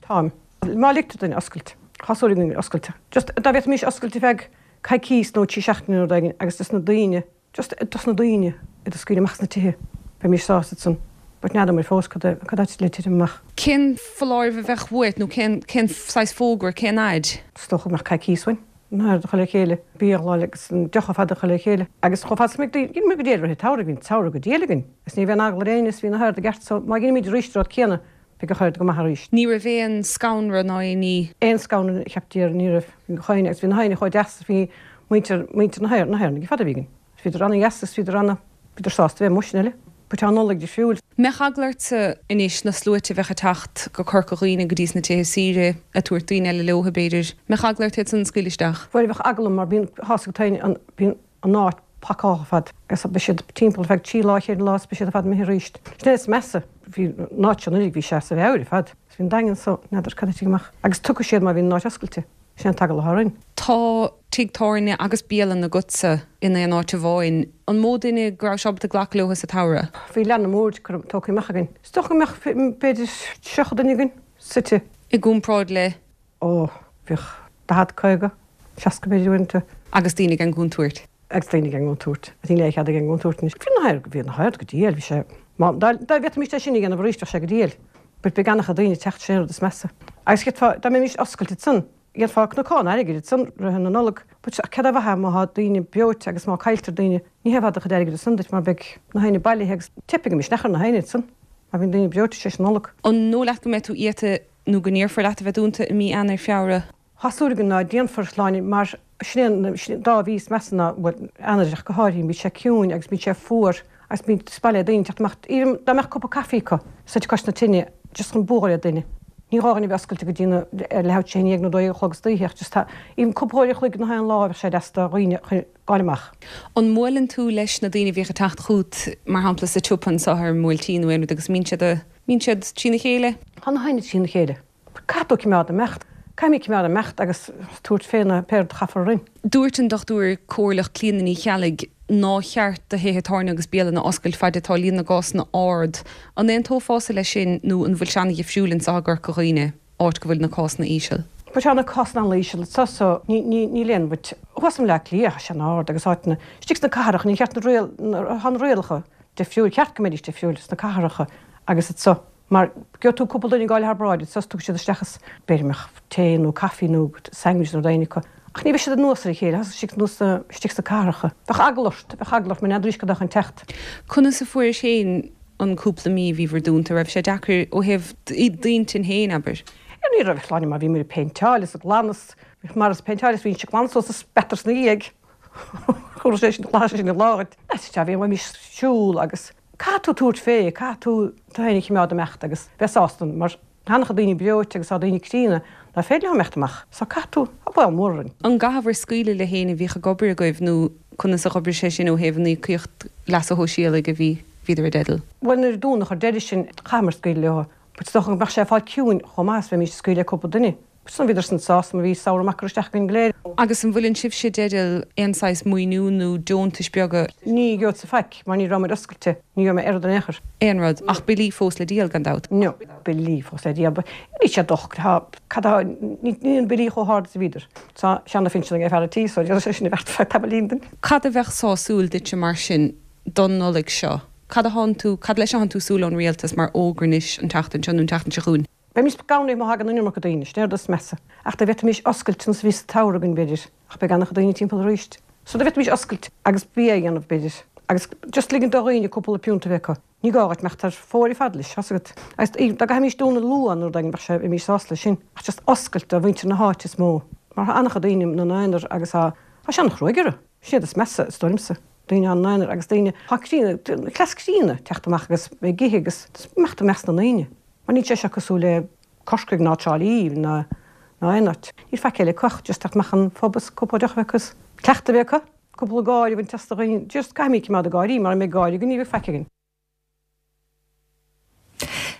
Táim. Má ligtear dúinn oscailt, tá súil againn oscailt. Just dá bhféadfaimis oscailt ar feadh coicís nó trí seachtaine nó rud éigin agus dos na daoine, Just dos na daoine iad a scaoileadh amach as na tithe, bheimis sásta ansan, but n'fheadar muid fós cad cad atá le titim amach. Cén foláireamh a bheadh uait nó cén cén saghas fógra, cén fhaid? Is dócha go mbeadh coicís uainn, na haird a chur le chéile, bia a ghabháil agus an deoch ar fad a chur le chéile. Agus chomh fada is a mbeidh daoine, dheineamar go diail i rith an tsamhraidh, bhí an tsamhradh go diail againn agus ní raibh aon eagla ar éinne is bhí na haird i gceart so má dheinimid arís an rud céanna, beidh gach aird go maith arís. Ní raibh aon scanradh ná aon ní. Aon scanradh cheap Dia ní raibh. Bhí gach éinne agus bhí na héinne chomh deas is bhí muintir, muintir na hÉireann, na hÉireannaigh fad a bhí againn. Bhíodar ana-dheas is bhíodar ana, bhíodar sásta bheith amuigh sin uile. But tá an Nollaig difriúil. Mbeadh eagla ortsa anois na sluaite a bheadh ag teacht go Corca Dhuibhne go dtí sna tithe saoire, ag tabhairt daoine eile leo b'fhéidir, mbeadh eagla ort iad san a scaoileadh isteach? Bhuel bheadh eagla orm mar bíonn, tá 's agat féin an, bíonn an áit pacáilte ar fad agus beidh siad timpeall ar feadh 3 lá, 4 lá is beidh siad ar fad imithe arís. Sin é is measa, bhí an áit seo anuraidh bhí sé as a mheabhair ar fad agus bhí an Daingean so, n'fheadar cad a thitfidh amach agus tiocfaidh siad má bhíonn an áit oscailte. Sin an t-eagla atá orainn. Tá tigh tábhairne agus bialann agatsa in aon áit amháin. An mó duine go raibh ábalta glacadh leo sa tsamhradh? Bhí leath na mboird curtha tógtha amach againn. Is dócha go mbeadh b'fhéidir 30 duine againn suite. I gcomparáid le? Ó, bhíodh 40, 50, 60 b'fhéidir uaireanta. Agus daoine gan gcontúirt? Agus daoine gan gcontúirt. Níl aon chead ag an gcontúirt anois. Bhí na haird, bhí na haird go diail, bhí sé, má, dá, dá bhféadfaimis é sin a dhéanamh arís bheadh sé go diail. But beidh an-chuid daoine ag teacht, sin an rud is measa. Agus cheapfá, dá mbeimis oscailte ansan, dhéanfá cnocán airgid ansan rith na Nollag, but cad é mhaith má thá daoine breoite agus má cailltear daoine, ní hé fada do chuid airgid ansan duit mar beidh na haoinne bailithe agus teipfidh an misneach ar na haoinne ansan má bhíonn daoine breoite tar éis na Nollag. An dóigh leat go mbeidh tú iata nó go n-iarrfar leat a bheith dúnta i mí Eanáir, Feabhra? Tá súil againn ná déanfar, Sláine, mar sin é an dá mhí is measa ná, bhuel, Eanáir ach go háirithe, bíonn sé ciúin agus bíonn sé fuar agus bíonn, is maith le daoine teacht amach, even dá mbeadh cupa caife acu suite cois na tine just chun bualadh le duine. Ní gá dhuine a bheith oscailte go dtí na, ar leathuair tar éis a haon dhéag nó 12 a chlog istoíche ach just tá, even cúpla uair a chloig gach aon lá bheadh sé deas do dhaoine chun gabháil amach. An mbuaileann tú leis na daoine a bhíodh ag teacht chugat, mar shampla sa tsiopa anseo ar an mBuailtín nó aon rud agus mbíonn siad a, mbíonn siad trína chéile? Tá na haoinne trína chéile. Caithfidh tú cimeád imeacht. Caithfimid cimeád imeacht agus tabhairt fé na pé rud a chaithfear orainn. Dúirt an Dochtúir Comhairleach Clíona Ní Cheallaigh ná cheart do thithe tábhairne agus bialanna oscailt faid atá líon na gcásanna ard. An aontófása leis sin nó an bhfuil sé an-dhifriúil anseo i gCorca Dhuibhne, áit go bhfuil na cásanna íseal? But tá na cásanna an-íseal anseo so níl aon but thuas i mBleá Cliath tá sé an-ard agus áiteanna istigh sna cathracha níor cheart na riail tá na rialacha difriúil cheart go mbeidís difriúil sna cathracha agus anseo. Mar gheobhaidh tú cúpla duine ag gabháil thar bráid anso is tiocfaidh siad isteach is b'fhéidir go mbeadh tae nó caife nó sandwich nó rud éigin acu. Ach ní bheidh siad anuas ar a chéile, tá siad anuas istigh sna cathracha. Bheadh eagla ort, bheadh eagla ort mar n'fheadraís cad é chun teacht. Conas a fuairis féin an cúpla mí a bhí bhur dúnta? Raibh sé deacair ó thaobh d'intinn féin, abair? Ní raibh, Sláine, mar bhí muid ag péinteáil is ag glanadh is mar is péinteáil is bhínnse ag glanadh suas is speatar ina dhiaidh. Chuir sé sin, ghlac sé sin an lá dhuit. Sea, bhí bhímis ag siúl agus. Caithfidh tú tabhairt fé, caithfidh tú tú féin a chimeád imeacht agus bheith sásta mar tá an-chuid daoine breoite agus tá daoine críonna ná féidir leo imeacht amach so caithfidh tú, tá baol mór orainn. An gcaitheabhair scaoileadh le héinne a bhíodh ag obair agaibh nó conas a dh'oibrigh sé sin ó thaobh an íocaíocht leasa shóisialaigh a bhí, bhíodar i dteideal? Bhuel nuair a dúnadh ar deireadh sin chaitheamar scaoileadh leo but is dócha go mbeadh sé ag fáil ciúin chomh maith is bheimís ag scaoileadh le cúpla duine. San bhíodar san sásta mar bhí samhradh maith curtha isteach againn go léir. Agus an bhfuileann sibhse i dteideal aon saghas maoiniú nó deontais beaga? Ní gheobhadsa faic mar ní raibh muid oscailte, ní gheobhaidh mé aon rud in aon chor. Aon rud, ach billí fós le díol, gan dabht. No, billí fós le díol, but níl sé docht, tá, cad tá, níl na billí chomh hard is a bhíodar. Tá seana-phinsean ag fear an tí so déanfaidh sé sin a bheart feadh tamaillín duinn. Cad a bheadh sásúil duitse mar sin don Nollaig seo? Cad a thánn tú, cad leis a thánn tú súil ón rialtas mar fhógra anois an tseachtain seo nó an tseachtain seo chugainn? Bheimis scanraithe má thagann an iomarca daoine, sin é an rud is measa. Ach dá bhféadfaimis oscailt nós a bhí sa tsamhradh againn, b'fhéidir, ach beidh an-chuid daoine timpeall arís. So dá bhféadfaimis oscailt agus bia a dhéanamh, b'fhéidir, agus just ligint do dhaoine cúpla piúnta a bheith acu. Ní gá dhuit imeacht thar fóir ar fad leis, tá's agat. Agus dá gcaithfimis dúnadh luath nó rud éigin, bheadh sé, bheimis sásta leis sin. Ach just oscailt do mhuintir na háite is mó. Mar tá an-chuid daoine ina n-aonar agus tá, tá sé an-chruaidh orthu. Sin é rud is measa, is dóigh liomsa. Daoine ina n-aonar agus daoine, tá críonna, cleas críonna teacht amach agus ag ithe agus imeacht i measc na ndaoine. Mar níl sé seo cosúil le Corcaigh ná Trá Lí ná aon áit. Níl faic eile acu ach just teacht amach an phub is cúpla deoch a bheith acu is cleachtadh a bheith acu, cúpla gáire a bhaint as do dhaoine. Just caithfimid cimeád ag gáirí, mara mbeidh gáire againn ní bheidh faic againn.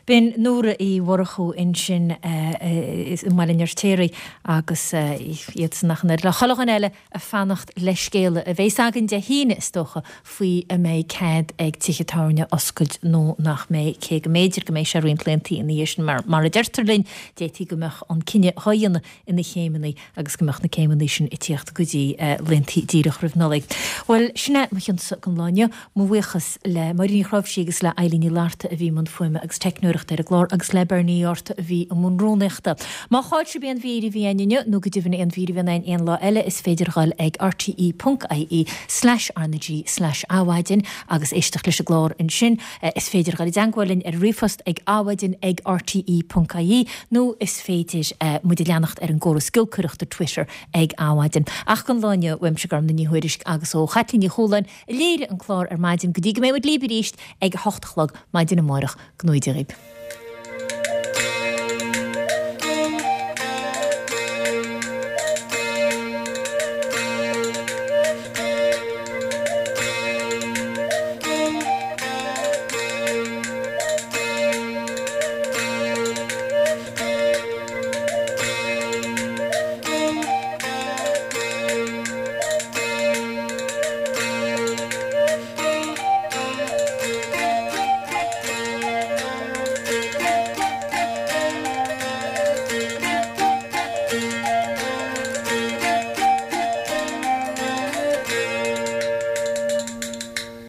B'in Nóra Uí Mhurchú ansin i mBaile an Fheirtéaraigh agus iadsan ach an oiread le chuile dhuine eile ag fanacht le scéala a bheas againn Dé hAoine, is dócha, faoi an mbeidh cead ag tithe tábhairne oscailt nó nach mbeidh, cé go mb'fhéidir go mbeidh sé roinnt laethanta ina dhiaidh sin. Mar, mar a deirtear linn, d'fhéadfaí go mbeadh an cinneadh dhá dhéanamh ina chéimeanna agus go mbeadh na céimeanna sin ag tíocht go dtí laethanta díreach roimh Nollaig. Bhuel, sin é mo chionsa don lá inniu. Mo bhuíochas le Máirín Ní Chnáimhsí agus le Eilín Ní Fhlatharta a bhí i mbun fuaime agus teicneoireachta. eagarthóireacht ar an gclár agus le Bernie Ort a bhí i mbun rúnaíochta. Má chaill sibh aon mhír a bhí againn inniu, nó go deimhin aon mhír a bhíonn againn aon lá eile, is féidir a dhul ag rte.ie slash RnaG slash Adhmhaidin agus éisteacht leis an gclár ansin. Is féidir a dhul i dteangmháil linn ar ríomhphost ag adhmhaidin ag rte.ie nó is féidir muid a leanacht ar an gcóras giolcaireachta Twitter ag Adhmhaidin. Ach don lá inniu, uaimse Gormlaith Ní Thuairisg agus ó Chaitlín Ní Chualáin a léirigh an clár ar maidin go dtí go mbeidh muid libh arís ag a hocht a chlog maidin amárach. Go ngnóthaí Dia dhaoib.